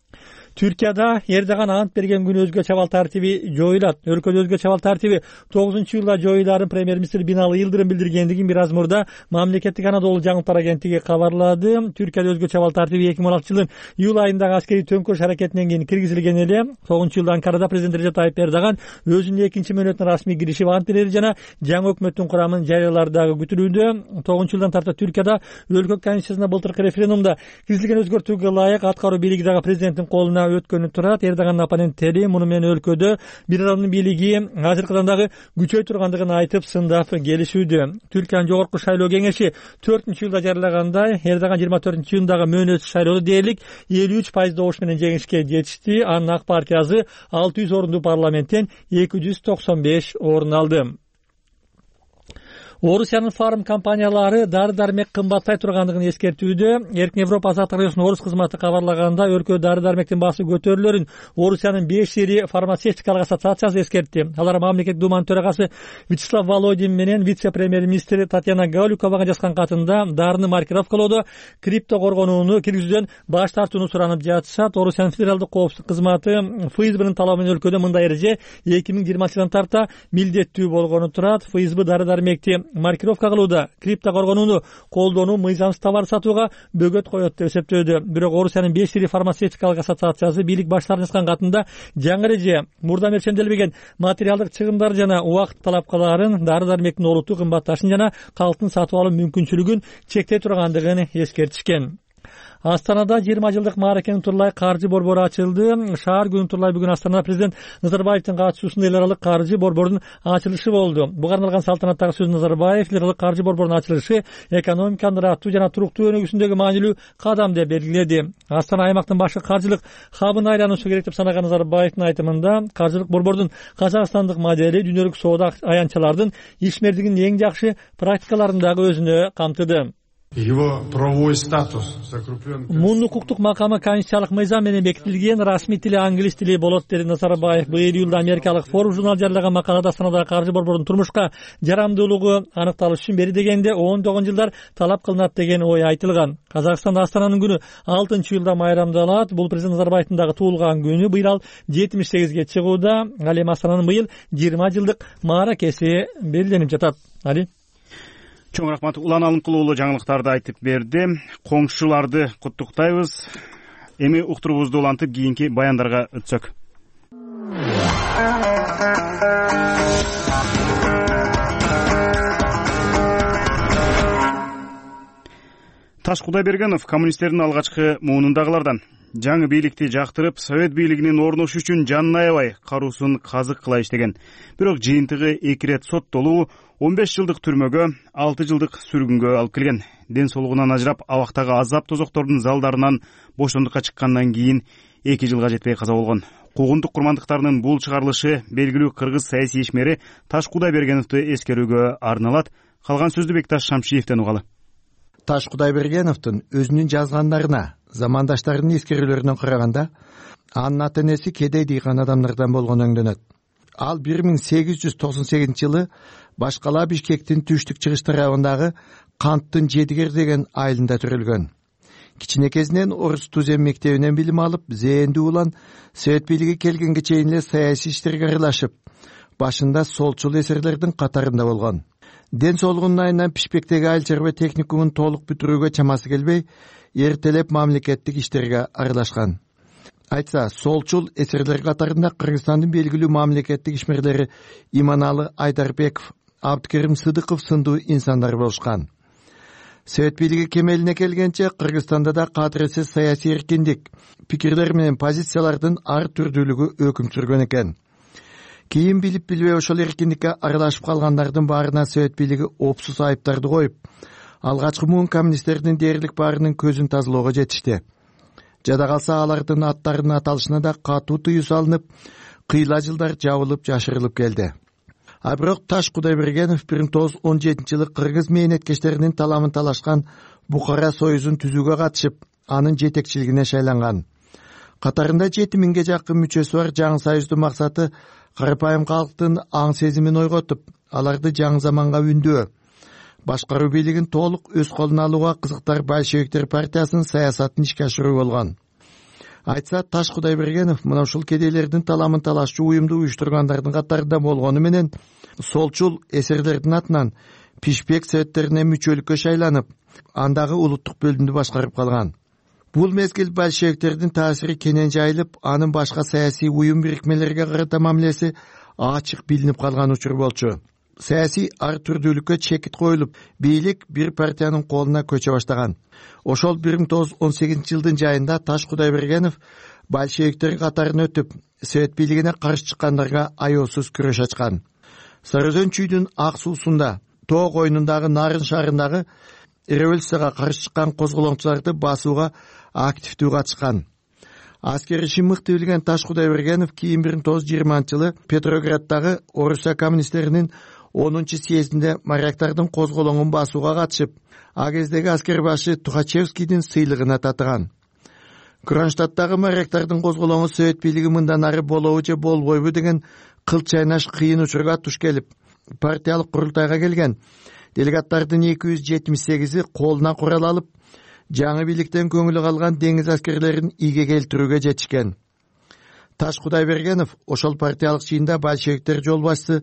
Түркияда Эрдоган ант берген күнү өзгөчө абал тартиби жоюлат. Өлкөдө өзгөчө абал тартиби тогузунчу июлда жоюларын премьер-министр Бинали Йылдырым билдиргендигин бир аз мурда мамлекеттик Анадолу жаңылыктар агенттиги кабарлады. Түркияда өзгөчө абал тартиби эки миң он алтынчы жылдын июль айындагы аскерий төңкөрүш аракетинен кийин киргизилген эле. тогузунчу июлда Анкарада президент Режеп Тайып Эрдоган өзүнүн экинчи мөөнөтүнө расмий киришип ант берери жана жаңы өкмөттүн курамын жарыялары дагы күтүлүүдө. тогузунчу жылдан тарта Түркияда өлкө конституциясына былтыркы референдумда киргизилген өзгөртүүгө ылайык аткаруу бийлиги дагы президенттин колуна өткөнү турат. Эрдогандын оппоненттери муну менен өлкөдө бир адамдын бийлиги азыркыдан дагы күчөй тургандыгын айтып сындап келишүүдө. Түркиянын жогорку шайлоо кеңеши төртүнчү июлда жарыялагандай, Эрдоган жыйырма төртүнчү июндагы мөөнөтсүз шайлоодо дээрлик элүү үч пайыз добуш менен жеңишке жетишти. Анын ак партиясы алты жүз орундуу парламенттен эки жүз токсон беш орун алды. Орусиянын фарм компаниялары дары дармек кымбаттай тургандыгын эскертүүдө. Эркин Европа азаттык радиосунун орус кызматы кабарлаганда, өлкөдө дары дармектин баасы көтөрүлөрүн Орусиянын беш ири фармацевтикалык ассоциациясы эскертти. Алар мамлекеттик думанын төрагасы Вячеслав Володин менен вице-премьер-министр Татьяна Гаулюковага жазган катында дарыны маркировкалоодо крипто коргонууну киргизүүдөн баш тартууну суранып жатышат. Орусиянын федералдык коопсуздук кызматы ФСБнын талабы менен өлкөдө мындай эреже эки миң жыйырманчы жылдан тарта милдеттүү болгону турат. ФСБ дары дармекти маркировка кылууда крипто коргонууну колдонуу мыйзамсыз товар сатууга бөгөт коет деп эсептөөдө. Бирок Орусиянын беш ири фармацевтикалык ассоциациясы бийлик баштарына жазган катында жаңы эреже мурда өлчөмдөлбөгөн материалдык чыгымдар жана убакыт талапкаларын, дары дармектин олуттуу кымбатташын жана калктын сатып алуу мүмкүнчүлүгүн чектей тургандыгын эскертишкен. Астанада жыйырма жылдык мааракенин Турлай каржы борбору ачылды. Шаар күнү Турлай бүгүн Астанада президент Назарбаевдин катышуусунда эл аралык каржы борборунун ачылышы болду. Буга арналган салтанаттагы сөзүндө Назарбаев эл аралык каржы борборунун ачылышы экономиканын ыраттуу жана туруктуу өнүгүүсүндөгү маанилүү кадам деп белгиледи. Астана аймактын башкы каржылык хабына айланушу керек деп санаган Назарбаевдин айтымында, каржылык борбордун казакстандык модели дүйнөлүк соода аянтчылардын ишмердигинин эң жакшы практикаларын дагы өзүнө камтыды. Его правовой статус закреплен. Мунун укуктук макамы конституциялык мыйзам менен бекитилген, расмий тили англис тили болот, деди Назарбаев. Быйыл июлда америкалык Forbes журнал жарыялаган макалада Астанадагы каржы борборунун турмушка жарамдуулугу аныкталыш үчүн бери дегенде ондогон жылдар талап кылынат деген ой айтылган. Казакстанда Астананын күнү алтынчы июлда майрамдалат. Бул президент Назарбаевдин дагы туулган күнү. Быйыл ал жетимиш сегизге чыгууда. Ал эми Астананын быйыл жыйырма жылдык мааракеси белгиленип жатат. Али Чоң рахмат. Улан Алымкулуу жаңылыктарды айтып берди. Коңшуларды куттуктайбыз. Эми уктурубузду улантып кийинки баяндарга өтсөк. Таш Кудайбергенов коммунисттердин алгачкы муунундагылардан. Жаңы бийликти жактырып, Совет бийлигинин орношуу үчүн жанын аябай каруусун казык кыла иштеген. Бирок жыйынтыгы эки ирет соттолуу, он беш жылдык түрмөгө, алты жылдык сүргүнгө алып келген. Ден соолугунан ажырап, абактагы азап тозоктордун залдарынан бошондукка чыккандан кийин эки жылга жетпей каза болгон. Куугунтук курмандыктарынын бул чыгарылышы белгилүү кыргыз саясий ишмери Таш Кудайбергеновду эскерүүгө арналат. Калган сөздү Бекташ Шамшиевден угалы. Таш Кудайбергеновдун өзүнүн жазгандарына, замандаштарынын эскерүүлөрүнөн караганда, анын ата энеси кедей дыйкан адамдардан болгону өңдөнөт. Ал бир миң сегиз жүз токсон сегизинчи жылы Башкала Бишкектин түштүк чыгыш тарабындагы Канттын Жедигер деген айылында төрөлгөн. Кичинекесинен орус тузем мектебинен билим алып, зээндүү улан Совет бийлиги келгенге чейин эле саясий иштерге аралашып, башында солчул эсерлердин катарында болгон. Ден соолугунун айынан Пишпектеги айыл чарба техникумун толук бүтүрүүгө чамасы келбей, эртелеп мамлекеттик иштерге аралашкан. Айтса, солчул эсерлер катарында Кыргызстандын белгилүү мамлекеттик ишмерлери Иманалы Айдарбеков, Абдыкерим Сыдыков сындуу инсандар болушкан. Совет бийлиги кемелине келгенче Кыргызстанда да кадырсыз саясий эркиндик, пикирлер менен позициялардын ар түрдүүлүгү өкүм сүргөн экен. Кийин билип билбей ошол эркиндикке аралашып калгандардын баарына Совет бийлиги опсуз айыптарды коюп, алгачкы муун коммунисттердин дээрлик баарынын көзүн тазалоого жетишти. Жада калса алардын аттарынын аталышына да катуу тыюу салынып, кыйла жылдар жабылып жашырылып келди. А бирок Таш Кудайбергенов бир миң тогуз жүз он жетинчи жылы кыргыз мээнеткечтеринин таламын талашкан Бухара союзун түзүүгө катышып, анын жетекчилигине шайланган. Катарында жети миңге жакын мүчөсү бар жаңы союздун максаты карапайым калктын аң сезимин ойготуп, аларды жаңы заманга үндөө, башкаруу бийлигин толук өз колуна алууга кызыктар большевиктер партиясынын саясатын ишке ашыруу болгон. Айтса, Таш Кудайбергенов мына ушул кедейлердин таламын талашчу уюмду уюштургандардын катарында болгону менен солчул эсерлердин атынан Пишпек советтерине мүчөлүккө шайланып, андагы улуттук бөлүмдү башкарып калган. Бул мезгил большевиктердин таасири кенен жайылып, анын башка саясий уюм бирикмелерге карата мамилеси ачык билинип калган учур болчу. Саясий ар түрдүүлүккө чекит коюлуп, бийлик бир партиянын колуна көчө баштаган. Ошол бир миң тогуз жүз он сегизинчи жылдын жайында Таш Кудайбергенов большевиктер катарын өтүп, Совет бийлигине каршы чыккандарга аяосуз күрөш ачкан. Сары Өзөн чүйдүн ак суусунда, Тоо койнундагы Нарын шаарындагы революцияга каршы чыккан козголоңчуларды басууга активдүү катышкан. Аскер ишин мыкты билген Таш Кудайбергенов кийин бир миң тогуз жүз жыйырманчы жылы Петрограддагы Орусия коммунисттеринин онунчу съездинде моряктардын козголоңун басууга катышып, а кездеги аскер башы Тухачевскийдин сыйлыгына татыган. Кронштадттагы моряктардын козголоңу Совет бийлиги мындан ары болобу же болбойбу деген кыл чайнаш кыйын учурга туш келип, партиялык курултайга келген делегаттардын эки жүз жетимиш сегизи колуна курал алып, жаңы бийликтен көңүлү калган деңиз аскерлерин ийге келтирүүгө жетишкен. Таш Кудайбергенов ошол партиялык жыйында большевиктер жол башчысы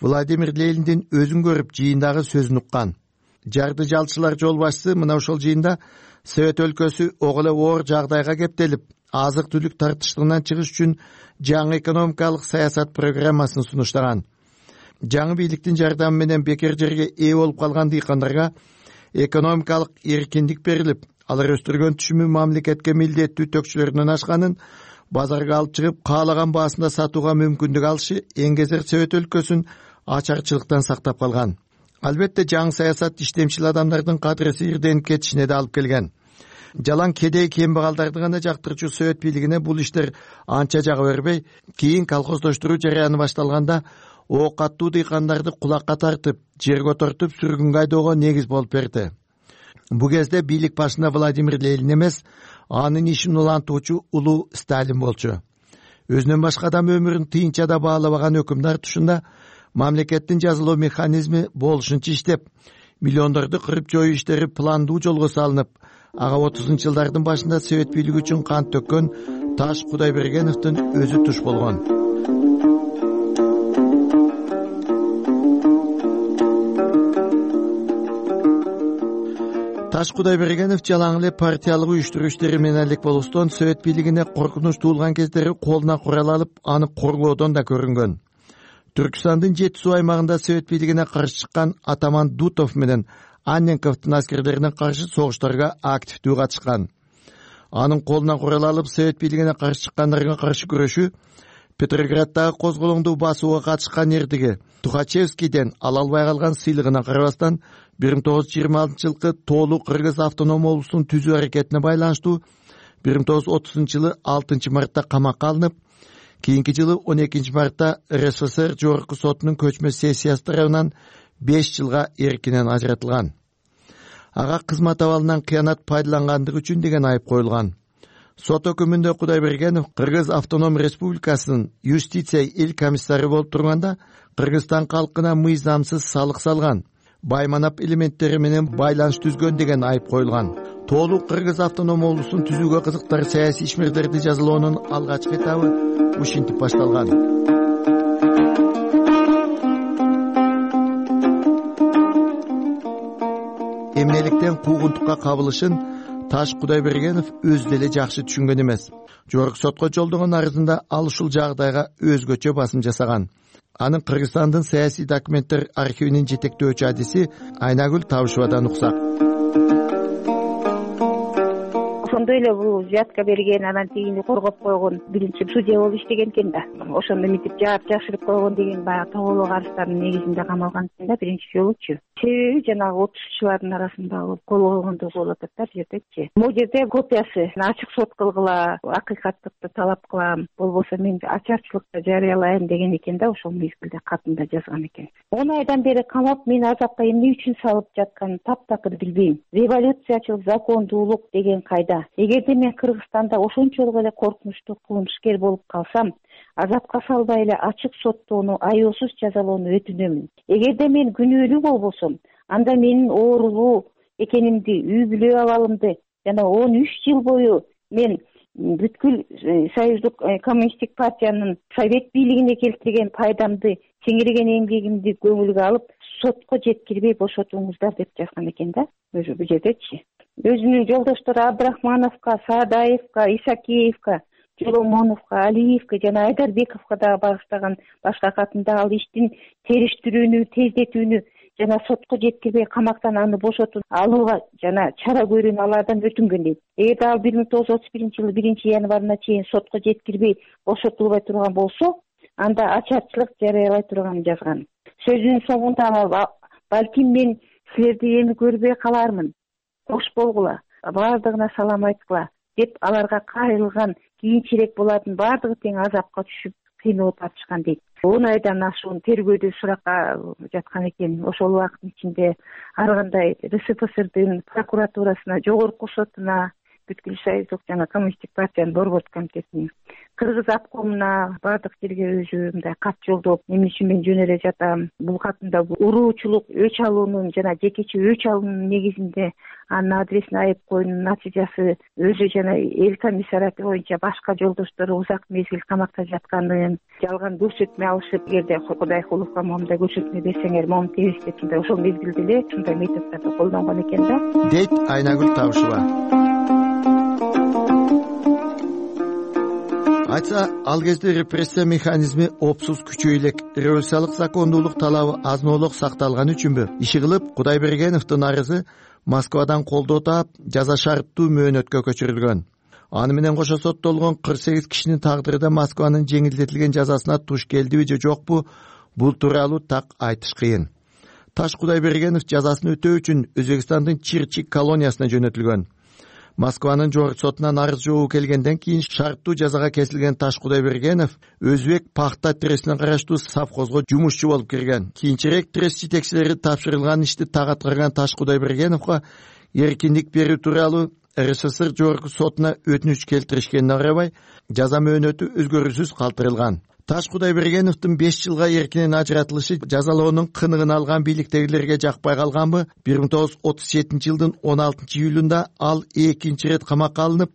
Владимир Лениндин өзүн көрүп жыйындагы сөзүн уккан. Жарды жалчылар жол башчысы мына ошол жыйында Совет өлкөсү ого эле оор жагдайга кептелип, азык-түлүк тартыштыгынан чыгыш үчүн жаңы экономикалык саясат программасын сунуштаган. Жаңы бийликтин жардамы менен бекер жерге ээ болуп калган дыйкандарга экономикалык эркиндик берилип, алар өстүргөн түшүмү мамлекетке милдеттүү төкчүлөрүнөн ашканын базарга алып чыгып, каалаган баасында сатууга мүмкүндүк алышы эңгезер Совет өлкөсүн ачарчылыктан сактап калган. Албетте жаңы саясат иштемчил адамдардын кадреси ирденип кетишине да алып келген. Жалаң кедей кембагалдарды гана жактырчу Совет бийлигине бул иштер анча жага бербей, кийин колхоздоштуруу жараяны башталганда ок аттуу дыйкандарды кулакка тартып, жерге отуртуп сүргүнгө айдоого негиз болуп берди. Бу кезде бийлик башында Владимир Ленин эмес, анын ишин улантуучу улуу Сталин болчу. Өзүнөн башка адам өмүрүн тыйынча да баалабаган өкүмдар тушунда мамлекеттин жазылуу механизми болушунча иштеп, миллиондорду кырып жоюу иштери пландуу жолго салынып, ага отузунчу жылдардын башында Совет бийлиги үчүн кан төккөн Таш Кудайбергеновдун өзү туш болгон. Таш Кудайбергенов жалаң эле партиялык уюштуруу иштери менен элек болуштон Совет бийлигине коркунуч туулган кездери колуна курал алып, аны коргоодон да көрүнгөн. Түркстандын жети суу аймагында Совет бийлигине каршы чыккан атаман Дутов менен Анненковдун аскерлерине каршы согуштарга активдүү катышкан. Анын колуна курал алып Совет бийлигине каршы чыккандарга каршы күрөшүү Петрограддагы козголоңду басууга катышкан эрдиги Тухачевскийден ала албай калган сыйлыгына карабастан бир миң тогуз жүз жыйырма алтынчы жылкы Тоолу Кыргыз автоном облусунун түзүү аракетине байланыштуу бир миң тогуз жүз отузунчу жылы алтынчы мартта камакка алынып, кийинки жылы он экинчи мартта эр эс эс эр жогорку сотунун көчмө сессиясы тарабынан беш жылга эркинен ажыратылган. Ага кызмат абалынан кыянат пайдалангандыгы үчүн деген айып коюлган. Сот өкүмүндө Кудайбергенов Кыргыз автоном республикасынын юстиция эл комиссары болуп турганда Кыргызстан калкына мыйзамсыз салык салган, байманап элементтери менен байланыш түзгөн деген айып коюлган. Тоолу Кыргыз автоном облусун түзүүгө кызыктар саясий ишмерлерди жазалоонун алгачкы этабы ушинтип башталган. Эмнеликтен куугунтукка кабылышын Таш Кудайбергенов өзү деле жакшы түшүнгөн эмес. Жогорку сотко жолдогон арызында ал ушул жагдайга өзгөчө басым жасаган. Анын Кыргызстандын саясий документтер архивинин жетектөөчү адиси Айнагүл Табышевадан уксак. Ошондой эле бул взятка берген, анан тигини коргоп койгон биринчи судья болуп иштеген экен да. Ошондо мынтип жаап жашырып койгон деген баягы тоголок арыздарынын негизинде камалган экен да биринчи жолучу. Себеби жанагы отузчулардын арасында болуп кол койгондугу болуп атат да бул жердечи. Могу жерде копиясы ачык сот кылгыла, акыйкаттыкты талап кылам, болбосо мен ачарчылыкта жарыялайм деген экен да, ошол мезгилде катында жазган экен. он айдан бери камап мени азапка эмне үчүн салып жатканын таптакыр билбейм. Революциячылык, закондуулук деген кайда? Эгерде мен Кыргызстанда ошончолук эле коркунучтуу кылмышкер болуп калсам, азапка салбай эле ачык соттоону, аяосуз жазалоону өтүнөмүн. Эгерде мен күнөөлүү болбосом, анда менин оорулуу экенимди, үй бүлө абалымды жана он үч жыл бою мен бүткүл Союздук коммунисттик партиянын Совет бийлигине келтирген пайдамды, сиңирген эмгегимди көңүлгө алып, сотко жеткирбей бошотуңуздар деп жазган экен да, өзү бул жердечи. Өзүнүн жолдоштору Абдрахмановго, Саадаевго, Исакеевго, Жоломоновго, Алиевго жана Айдарбековго да багыштаган башка катында ал иштин териштирүүнү, тездетүүнү жана сотко жеткирбей камактан аны бошотуп алууга жана чара көрүүнү алардан өтүнгөн дейт. Эгерде ал бир миң тогуз жүз отуз биринчи жылы биринчи январына чейин сотко жеткирбей бошотулбай турган болсо, анда ачарчылык жарыялай турганын жазган. Сөзүнүн соңунда балким мен силерди эми көрбөй калармын. Кош болгула, баардыгына салам айткыла деп аларга кайрылган, кийинчерээк булардын баардыгы тең азапка түшүп кыйналып атышкан дейт. он айдан ашуун тергөөдө суракка жаткан экен. Ошол убакыттын ичинде ар кандай РСФСРдин прокуратурасына, жогорку сотуна, бүткүл союздук жана коммунисттик партиянын борбордук комитетине, Кыргыз обкомуна баардык жерге өзү мындай кат жолдоп, эмне үчүн мен жөн эле жатам, бул катымда уруучулук, өч алуунун жана жекече өч алуунун негизинде анын адресине айып коюунун натыйжасы өзү жана эл комиссариаты боюнча башка жолдоштору узак мезгил камакта жатканын, жалган көрсөтмө алышып, эгерде Кудай Куловго моундай көрсөтмө берсеңер, моуну тебиз деп мындай ошол мезгилде эле ушундай методдорду колдонгон экен да, дейт Айнагүл Табышева. Айтса, ал кезде репрессия механизми опсуз күчөй элек, революциялык закондуулук талабы азынолук сакталган үчүнбү? Иши кылып, Кудайбергеновдун арызы Москвадан колдоо таап, жаза шарттуу мөөнөткө көчүрүлгөн. Аны менен кошо соттолгон кырк сегиз кишинин тагдыры да Москванын жеңилдетилген жазасына туш келдиби же жокпу, бул тууралуу так айтыш кыйын. Таш Кудайбергенов жазасын өтөө үчүн Өзбекстандын Чирчик колониясына жөнөтүлгөн. Москванын жогорку сотунан арыз жообу келгенден кийин шарттуу жазага кесилген Таш Кудайбергенов Өзбек пахта трестине караштуу совхозго жумушчу болуп кирген. Кийинчерээк трест жетекчилери тапшырылган ишти так аткарган Таш Кудайбергеновго эркиндик берүү тууралуу РСФСР жогорку сотуна өтүнүч келтиришкенине карабай, жаза мөөнөтү өзгөрүүсүз калтырылган. Таш Кудайбергеновдун беш жылга эркинен ажыратылышы жазалоонун кыныгын алган бийликтегилерге жакпай калганбы? бир миң тогуз жүз отуз жетинчи жылдын он алтынчы июлунда ал экинчи ирет камакка алынып,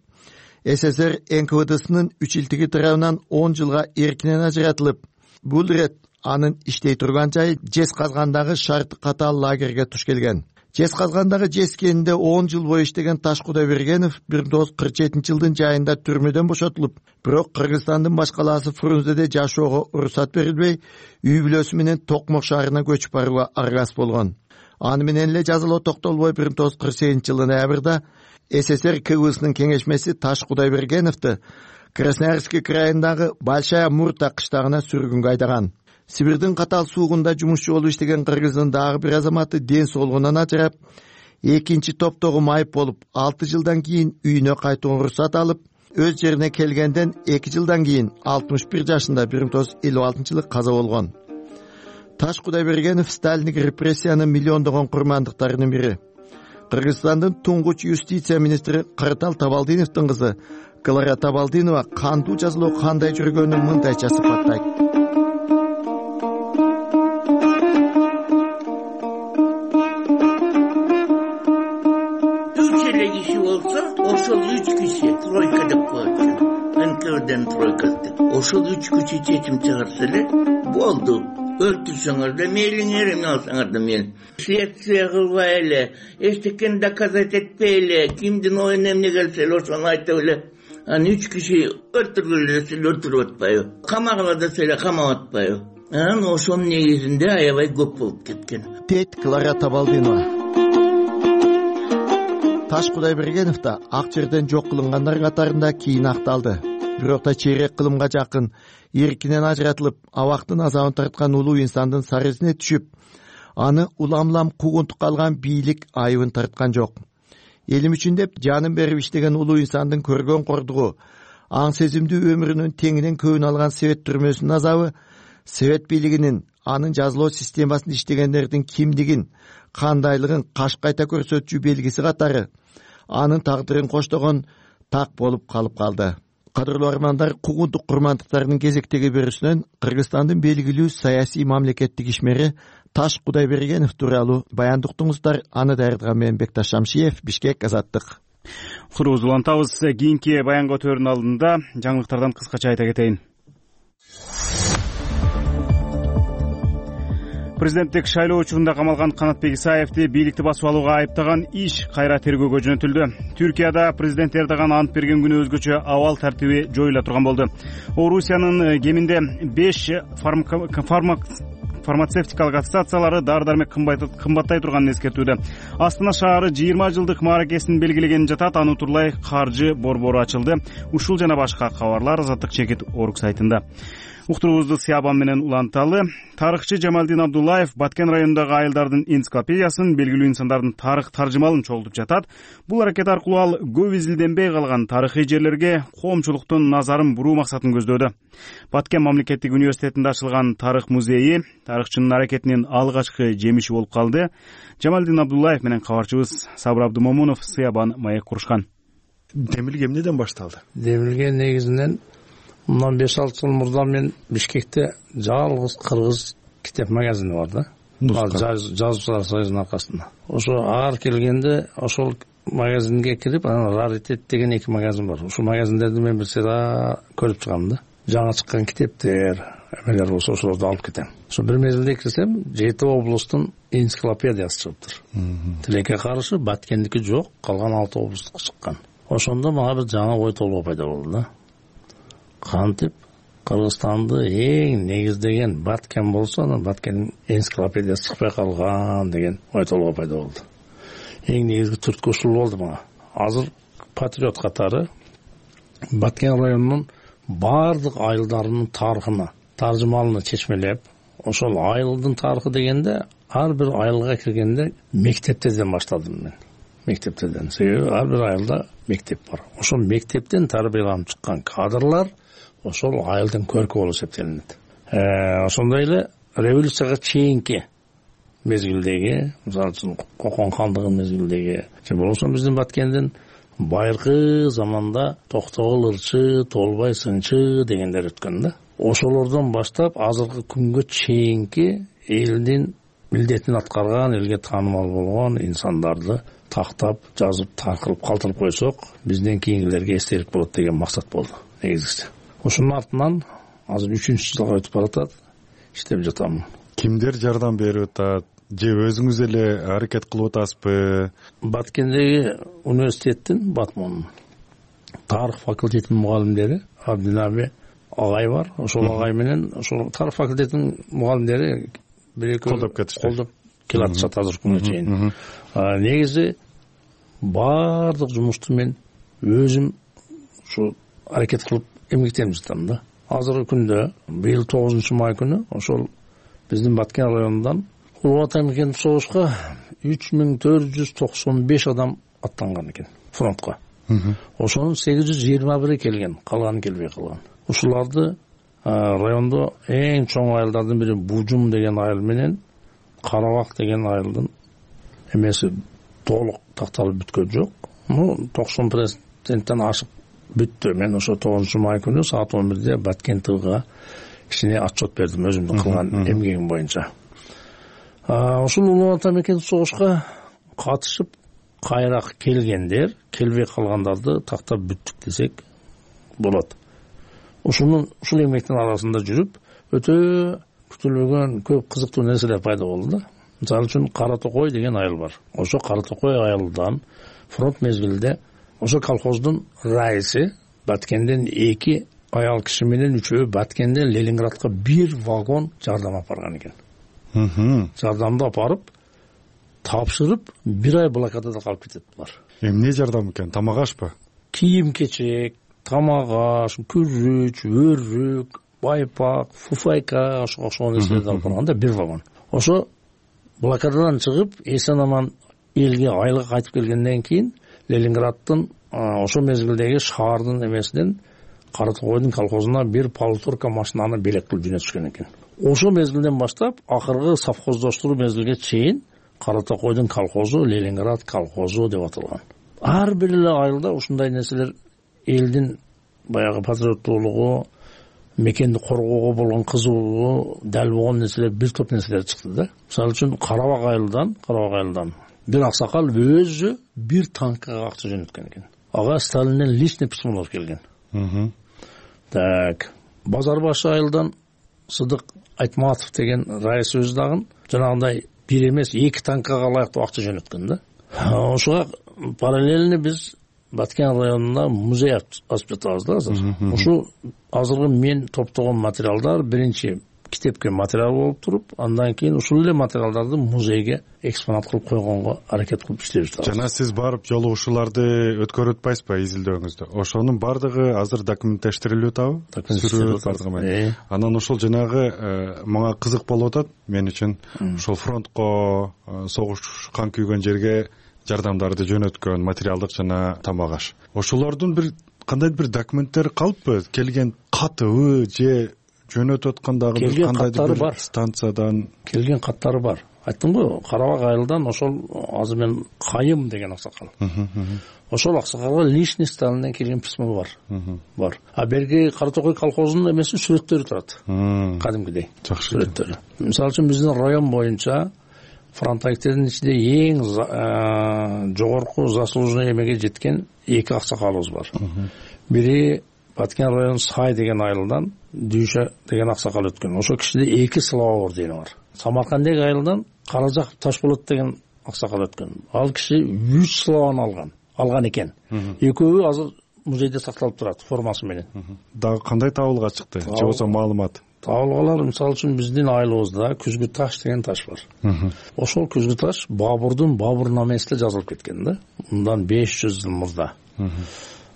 СССР эн ка вэ дсынын үчилтиги тарабынан он жылга эркинен ажыратылып, бул ирет анын иштей турган жайы Жезказгандагы шарты катаал лагерге туш келген. Жезказгандагы жез кенинде он жыл бою иштеген Таш Кудайбергенов бир миң тогуз жүз кырк жетинчи жылдын жайында түрмөдөн бошотулуп, бирок Кыргызстандын баш калаасы Фрунзеде жашоого уруксат берилбей, үй бүлөсү менен Токмок шаарына көчүп барууга аргасыз болгон. Аны менен эле жазалоо токтолбой бир миң тогуз жүз кырк сегизинчи жылдын ноябрда СССР ка вэ дсынын кеңешмеси Таш Кудайбергеновду Красноярский крайындагы Большая Мурта кыштагына сүргүнгө айдаган. Сибирдин катаал суугунда жумушчу болуп иштеген Кыргыздын дагы бир азаматы ден соолугунан ажырап, экинчи топтогу майып болуп, алты жылдан кийин үйүнө кайтууга уруксат алып, өз жерине келгенден эки жылдан кийин алтымыш бир жашында бир миң тогуз жүз элүү алтынчы жылы каза болгон. Таш Кудайбергенов сталиндик репрессиянын миллиондогон курмандыктарынын бири. Кыргызстандын туңгуч юстиция министри Каратал Табалдиновдун кызы Клара Табалдинова кандуу жазалоо кандай жүргөнүн мындайча сыпаттайт. Ошол үч киши тройка деп коет. эн ка вэ-ден тройка деп. Ошол үч киши чечим чыгарса эле болду. Өлтүрсөңөр да мейлиңер, эме алсаңар да мейлиң. Следствие кылбай эле, эчтекени доказать этпей эле, кимдин оюна эмне келсе эле ошону айтып эле. Анан үч киши өлтүргүлө десе өлтүрүп атпайбы? Камагыла десе эле камап атпайбы? Анан ошонун негизинде аябай көп болуп кеткен. Дейт Клара Табалдинова. Таш Кудайбергенов да ак жерден жок кылынгандар катарында кийин акталды. Бирок да чейрек кылымга жакын эркинен ажыратылып, абактын азабын тарткан улуу инсандын сарызине түшүп, аны улам-улам куугунтукка алган бийлик айыбын тарткан жок. Элим үчүн деп жанын берип иштеген улуу инсандын көргөн кордугу, аң сезимдүү өмүрүнүн теңинен көбүн алган Совет түрмөсүнүн азабы, Совет бийлигинин анын жазалоо системасында иштегендердин кимдигин, кандайлыгын каш кайта көрсөтчү белгиси катары анын тагдырын коштогон так болуп калып калды. Кадырлуу армандар, куугунтук курмандыктарынын кезектеги берүүсүнөн Кыргызстандын белгилүү саясий мамлекеттик ишмери Таш Кудайбергенов тууралуу баянды уктуңуздар. Аны даярдаган мен Бекташ Шамшиев, Бишкек, Азаттык. Курбуз улантабыз. Кийинки баянга өтөөрүнүн алдында жаңылыктардан кыскача айта кетейин. Президенттик шайлоо учурунда камалган Канатбек Исаевди бийликти басып алууга айыптаган иш кайра тергөөгө жөнөтүлдү. Түркияда президент Эрдоган ант берген күнү өзгөчө абал тартиби жоюла турган болду. Орусиянын кеминде беш фармацевтикалык ассоциациялары дары-дармек кымбаттай турганын эскертүүдө. Астана шаары жыйырма жылдык мааракесин белгилеген жатат. Аны утурлай каржы борбору ачылды. Ушул жана башка кабарлар Азаттык чекит орг сайтында. уктуруубузду Сыябан менен уланталы. Тарыхчы Жамалдин Абдуллаев Баткен районундагы айылдардын энциклопедиясын, белгилүү инсандардын тарых таржымалын чогултуп жатат. Бул аракет аркылуу ал көп изилденбей калган тарыхый жерлерге коомчулуктун назарын буруу максатын көздөдө. Баткен мамлекеттик университетинде ачылган тарых музейи тарыхчынын аракетинин алгачкы жемиши болуп калды. Жамалдин Абдуллаев менен кабарчыбыз Сабыр Абдумомунов Сыябан маек курушкан. Демилге эмнеден башталды? Демилге негизинен мындан беш алты жыл мурда мен Бишкекте жалгыз кыргыз китеп магазини бар да. Жазуучулар союзунун аркасында. Ошо ар келгенде ошол магазинге кирип, анан раритет деген эки магазин бар. Ушул магазиндерди мен бир сыйра көрүп чыгам да. Жаңы чыккан китептер, эмелер болсо ошолорду алып кетем. Ошо бир мезгилде кирсем, жети облустун энциклопедиясы чыгыптыр. Тилекке каршы Баткендики жок, калган алты облустук чыккан. Ошондо мага бир жаңы ой толгоо пайда болду да. Кантип Кыргызстанды эң негиздеген Баткен болсо, анан Баткендин энциклопедиясы чыкпай калган деген ой толгоо пайда болду. Эң негизги түрткү ушул болду мага. Азыр патриот катары Баткен районунун бардык айылдарынын тарыхына, таржымалына чечмелеп, ошол айылдын тарыхы дегенде ар бир айылга киргенде мектептерден баштадым мен. Мектептерден. Себеби ар бир айылда мектеп бар. Ошол мектептен тарбияланып чыккан кадрлар ошол айылдын көркү болуп эсептелинет. Ошондой эле революцияга чейинки мезгилдеги, мисалы үчүн Кокон хандыгынын мезгилдеги, же болбосо биздин Баткендин байыркы заманда Токтогул ырчы, Толбай сынчы дегендер өткөн да. Ошолордон баштап азыркы күнгө чейинки элдин милдетин аткарган, элге таанымал болгон инсандарды тактап, жазып, таркылып калтырып койсок, бизден кийинкилерге эстелик болот деген максат болду негизгиси. Ошонун артынан азыр үчүнчү жылга өтүп баратат, иштеп жатам. Кимдер жардам берип атат? Же өзүңүз эле аракет кылып атасызбы? Баткендеги университеттин, Батмонун тарых факультетинин мугалимдери Абдинаби агай бар. Ошол агай менен ошол тарых факультетинин мугалимдери бир эки колдоп кетишти. Колдоп келатышат азыркы күнгө чейин. Негизи баардык жумушту мен өзүм ушу аракет кылып эмгектенип жатам да. Азыркы күндө быйыл тогузунчу май күнү ошол биздин Баткен районундан Улуу Ата мекендик согушка үч миң төрт жүз токсон беш адам аттанган экен фронтко. Ошонун сегиз жүз жыйырма бири келген, калганы келбей калган. Ушуларды райондо эң чоң айылдардын бири Бужум деген айыл менен Карабак деген айылдын эмеси толук такталып бүткөн жок. Ну, токсон проценттен ашык бүттү. Мен ошо тогузунчу май күнү саат он бирде Баткен ТВга кичине отчет бердим өзүмдүн кылган эмгегим боюнча. Ошол Улуу Ата мекендик согушка катышып кайра келгендер, келбей калгандарды тактап бүттүк десек болот. Ушунун ушул эмгектин арасында жүрүп, өтө күтүлбөгөн көп кызыктуу нерселер пайда болду да. Мисалы үчүн Кара Токой деген айыл бар. Ошо Кара Токой айылдан фронт мезгилде ошо колхоздун раиси Баткенден эки аял киши менен үчөө Баткенден Ленинградка бир вагон жардам алып барган экен. Жардамды апарып, тапшырып, бир ай блокадада калып кетиптир. Эмне жардам экен? Тамак ашпы? Кийим-кечек, тамак аш, күрүч, өрүк, байпак, фуфайка, ошо окшогон нерселерди алып барганда бир вагон. Ошо блокададан чыгып, эсен аман элге айылга кайтып келгенден кийин Ленинграддын ошо мезгилдеги шаардын эмесинен Кара Токойдун колхозуна бир полуторка машинаны белек кылып жөнөтүшкөн экен. Ошо мезгилден баштап акыркы совхоздоштуруу мезгилге чейин Кара Токойдун колхозу Ленинград колхозу деп аталган. Ар бир эле айылда ушундай нерселер элдин баягы патриоттуулугу, мекенди коргоого болгон кызуулугу, дал болгон нерселер, бир топ нерселер чыкты да. Мисалы үчүн Карабак айылдан, Карабак айылдан бир аксакал өзү бир танкага акча жөнөткөн экен. Ага Сталинден личный письмолор келген. Так, Базарбашы айылдан Сыдык Айтматов деген раис өз дагы жанагындай бир эмес эки танкага ылайыктуу акча жөнөткөн да. Ошого параллельно биз Баткен районунда музей ачып жатабыз да азыр. Ушу азыркы мен топтогон материалдар биринчи китепке материал болуп туруп, андан кийин ушул эле материалдарды музейге экспонат кылып койгонго аракет кылып иштеп жатабыз. Жана сиз барып жолугушууларды өткөрүп атпайсызбы изилдөөңүздө? Ошонун бардыгы азыр документтештирилип атабы? Сүрөт бардыгы. Анан ошол жанагы мага кызык болуп атат мен үчүн. Ошол фронтко, согуш кан күйгөн жерге жардамдарды жөнөткөн материалдык жана тамак аш. Ошолордун бир кандайдыр бир документтери калыппы? Келген катыбы же жөнөтүп аткандагы кандайдыр бир станциядан келген каттары бар. Айттым го, Карабак айылдан ошол азыр мен Кайым деген аксакал. Ошол аксакалга личный составдан келген письмо бар. Бар. А берги Кара Токой колхозунун эмеси сүрөттөрү турат. Кадимкидей. Жакшы сүрөттөрү. Мисалы үчүн биздин район боюнча фронтовиктердин ичинде эң жогорку заслуженный эмеге жеткен эки аксакалыбыз бар. Бири Баткен район Сай деген айылдан Дүйшө деген аксакал өткөн. Ошол кишиде эки слава ордени бар. Самаркандек айылдан Каражак Ташболот деген аксакал өткөн. Ал киши үч славаны алган. Алган экен. Экөөбү азыр музейде сакталып турат формасы менен. Дагы кандай табылга чыкты? Же болбосо маалымат? Табылгалар мисалы үчүн биздин айылыбызда Күзгү таш деген таш бар. Ошол Күзгү таш Бабурдун Бабурнамесинде жазылып кеткен да. Мындан беш жүз жыл мурда.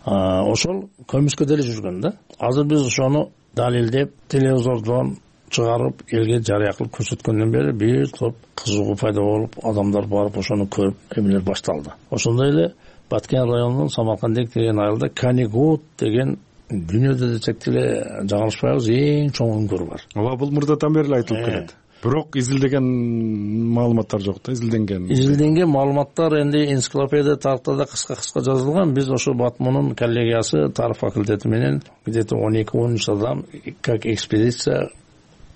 Ошол көмүскө деле жүргөн да. Азыр биз ошону далилдеп, телевизордон чыгарып, элге жарыя кылып көрсөткөндөн бери бир топ кызыгуу пайда болуп, адамдар барып ошону көрүп, эмелер башталды. Ошондой эле Баткен районунун Самаркандек деген айылда Канигут деген дүйнөдө десек эле жаңылышпайбыз эң чоң үңгүр бар. Ооба, бул мурдадан бери айтылып келет. Бирок изилдеген маалыматтар жок да, изилденген. Изилденген маалыматтар энди энциклопедия тарыхта кыска-кыска жазылган. Биз ошо Батмунун коллегиясы тарых факультети менен где-то он эки он үч адам как экспедиция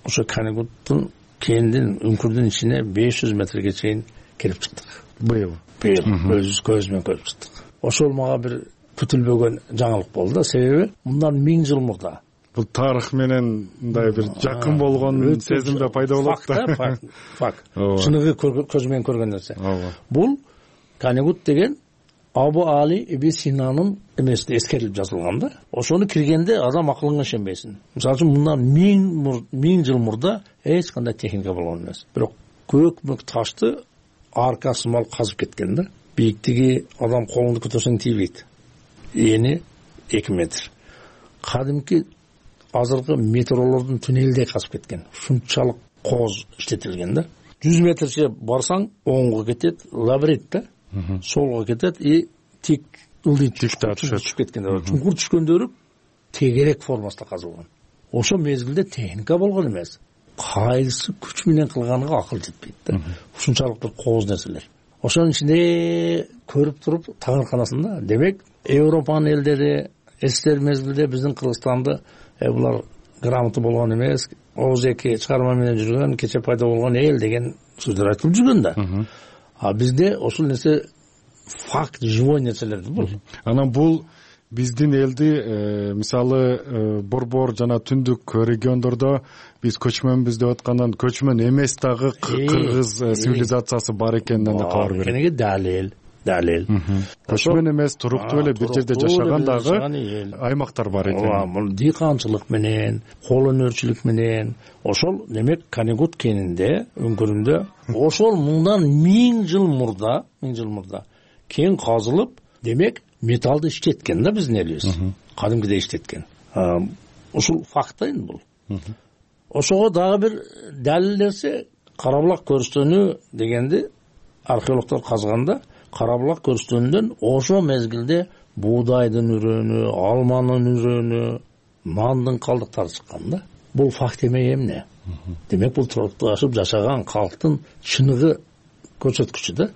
ошо Канигуттун кендин үңкүрдүн ичине беш жүз метрге чейин кирип чыктык. Быйыл. Быйыл көз көз менен көрүп чыктык. Ошол мага бир күтүлбөгөн жаңылык болду да, себеби мындан миң жыл мурда. Бул тарых менен мындай бир жакын болгон сезимде пайда болот да. Факт, факт. Чыныгы көз менен көргөн нерсе. Бул Канигут деген Абу Али Ибн Синанын эмесинде эскерилип жазылган да. Ошону киргенде адам акылыңа ишенбейсиң. Мисалы үчүн мындан миң миң жыл мурда эч кандай техника болгон эмес. Бирок көк-мөк ташты арка сымал казып кеткен да. Бийиктиги адам колунду көтөрсөң тийбейт. Эни эки метр. Кадимки азыркы метролордун туннелдей казып кеткен. Ушунчалык кооз иштетилген да. жүз метрче барсаң оңго кетет, лабиринт да. Солго кетет и тик ылдый түшүп кеткен. Чуңкур түшкөндөрү тегерек формасында казылган. Ошо мезгилде техника болгон эмес. Кайсы күч менен кылганга акыл жетпейт да. Ушунчалык бир кооз нерселер. Ошонун ичинде көрүп туруп таңырканасында, демек Европанын элдери эстер мезгилде биздин Кыргызстанды булар грамота болгон эмес, оз эки чыгарма менен жүргөн, кече пайда болгон эл деген сөздөр айтылып жүргөн да. А бизде ошол нерсе факт, живой нерселер бул. Анан бул биздин элди мисалы борбор жана түндүк региондордо биз көчмөнбүз деп аткандан көчмөн эмес дагы кыргыз цивилизациясы бар экенинен да кабар берет. Кенеге далил, далил. Көчмөн эмес, туруктуу эле бир жерде жашаган дагы аймактар бар экен. Ооба, бул дыйканчылык менен, кол өнөрчүлүк менен, ошол демек Канигут кенинде, өңкүрүндө ошол мындан миң жыл мурда, миң жыл мурда кен казылып, демек металлды иштеткен да биздин элибиз. Кадимкидей иштеткен. Ушул факт да эми бул. Ошого дагы бир далил нерсе Карабулак көрүстөнү дегенди археологдор казганда Карабулак көрүстөнүнөн ошо мезгилде буудайдын үрөнү, алманын үрөнү, нандын калдыктары чыккан да. Бул факт эмей эмне? Демек бул турукташып жашаган калктын чыныгы көрсөткүчү да.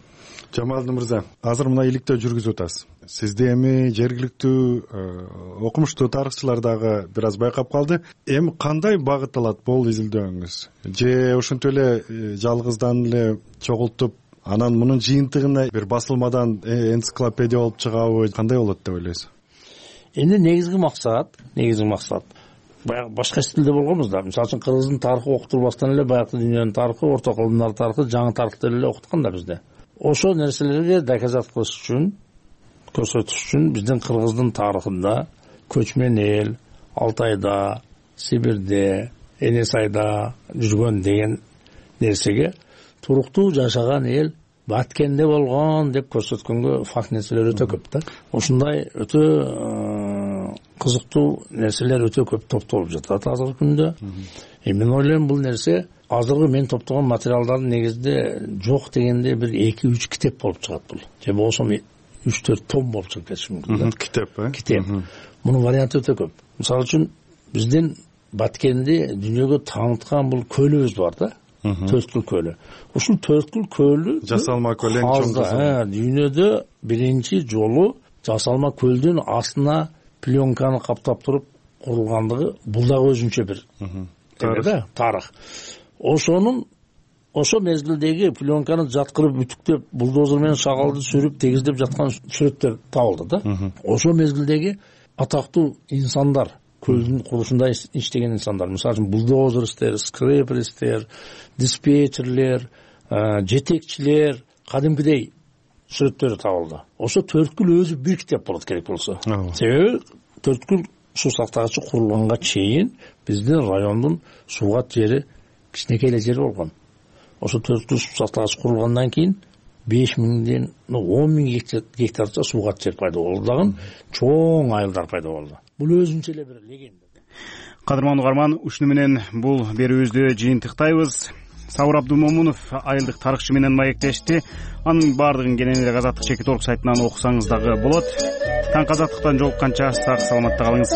Жамалдын мырза, азыр мына иликтөө жүргүзүп атасыз. Сизде эми жергиликтүү окумуштуу тарыхчылар дагы бир аз байкап калды. Эми кандай багыт алат бул изилдөөңүз? Же ошентип эле жалгыздан эле чогултуп, анан мунун жыйынтыгына бир басылмадан энциклопедия болуп чыгабы? Кандай болот деп ойлойсуз? Эми негизги максат, негизги максат баягы башка стилде болгонбуз да. Мисалы үчүн кыргыздын тарыхы окутулбастан эле баягы дүйнөнүн тарыхы, орто кылымдар тарыхы, жаңы тарыхты эле окуткан да бизде. Ошо нерселерге доказат кылыш үчүн, көрсөтүш үчүн биздин кыргыздын тарыхында көчмөн эл Алтайда, Сибирде, эне сайда жүргөн деген нерсеге туруктуу жашаган эл Баткенде болгон деп көрсөткөнгө факт нерселер өтө көп да. Ушундай өтө кызыктуу нерселер өтө көп топтолуп жатат азыркы күндө. Мен ойлойм бул нерсе азыркы мен топтогон материалдардын негизинде жок дегенде бир эки үч китеп болуп чыгат бул. Же болбосо үч төрт том болуп чыгып кетиши мүмкүн да. Китеп, э? Китеп. Мунун варианты өтө көп. Мисалы үчүн биздин Баткенди дүйнөгө тааныткан бул көлүбүз бар да. Төрткүл көлү. Ушул Төрткүл көлү жасалма көл эң чоң жасалма. Дүйнөдө биринчи жолу жасалма көлдүн астына пленканы каптап туруп курулгандыгы бул дагы өзүнчө бир тарых. Тарых. Ошонун ошо мезгилдеги пленканы жаткырып бүтүктөп булдозер менен шагалды сүрүп тегиздеп жаткан сүрөттөр табылды да. Ошо мезгилдеги атактуу инсандар, көлдүн курушунда иштеген инсандар, мисалы үчүн булдозерстер, скреперистер, диспетчерлер, жетекчилер, кадимкидей сүрөттөрү табылды. Ошо Төрткүл өзү бир китеп болот керек болсо. Себеби Төрткүл суу сактагычы курулганга чейин биздин райондун суугат жери кичинекей эле жер болгон. Ошо Төрткүл суу сактагыч курулгандан кийин беш миңден он миң гектарча суугат жер пайда болду дагы чоң айылдар пайда болду. Бул өзүнчө эле бир легенда. Кадырман угарман, ушуну менен бул берүүбүздү жыйынтыктайбыз. Сабыр Абдумомунов айылдык тарыхчы менен маектешти. Анын баардыгын кенен эле Азаттык чекит орг сайтынан окусаңыз дагы болот. Таң азаттыктан жолукканча сак саламатта калыңыз.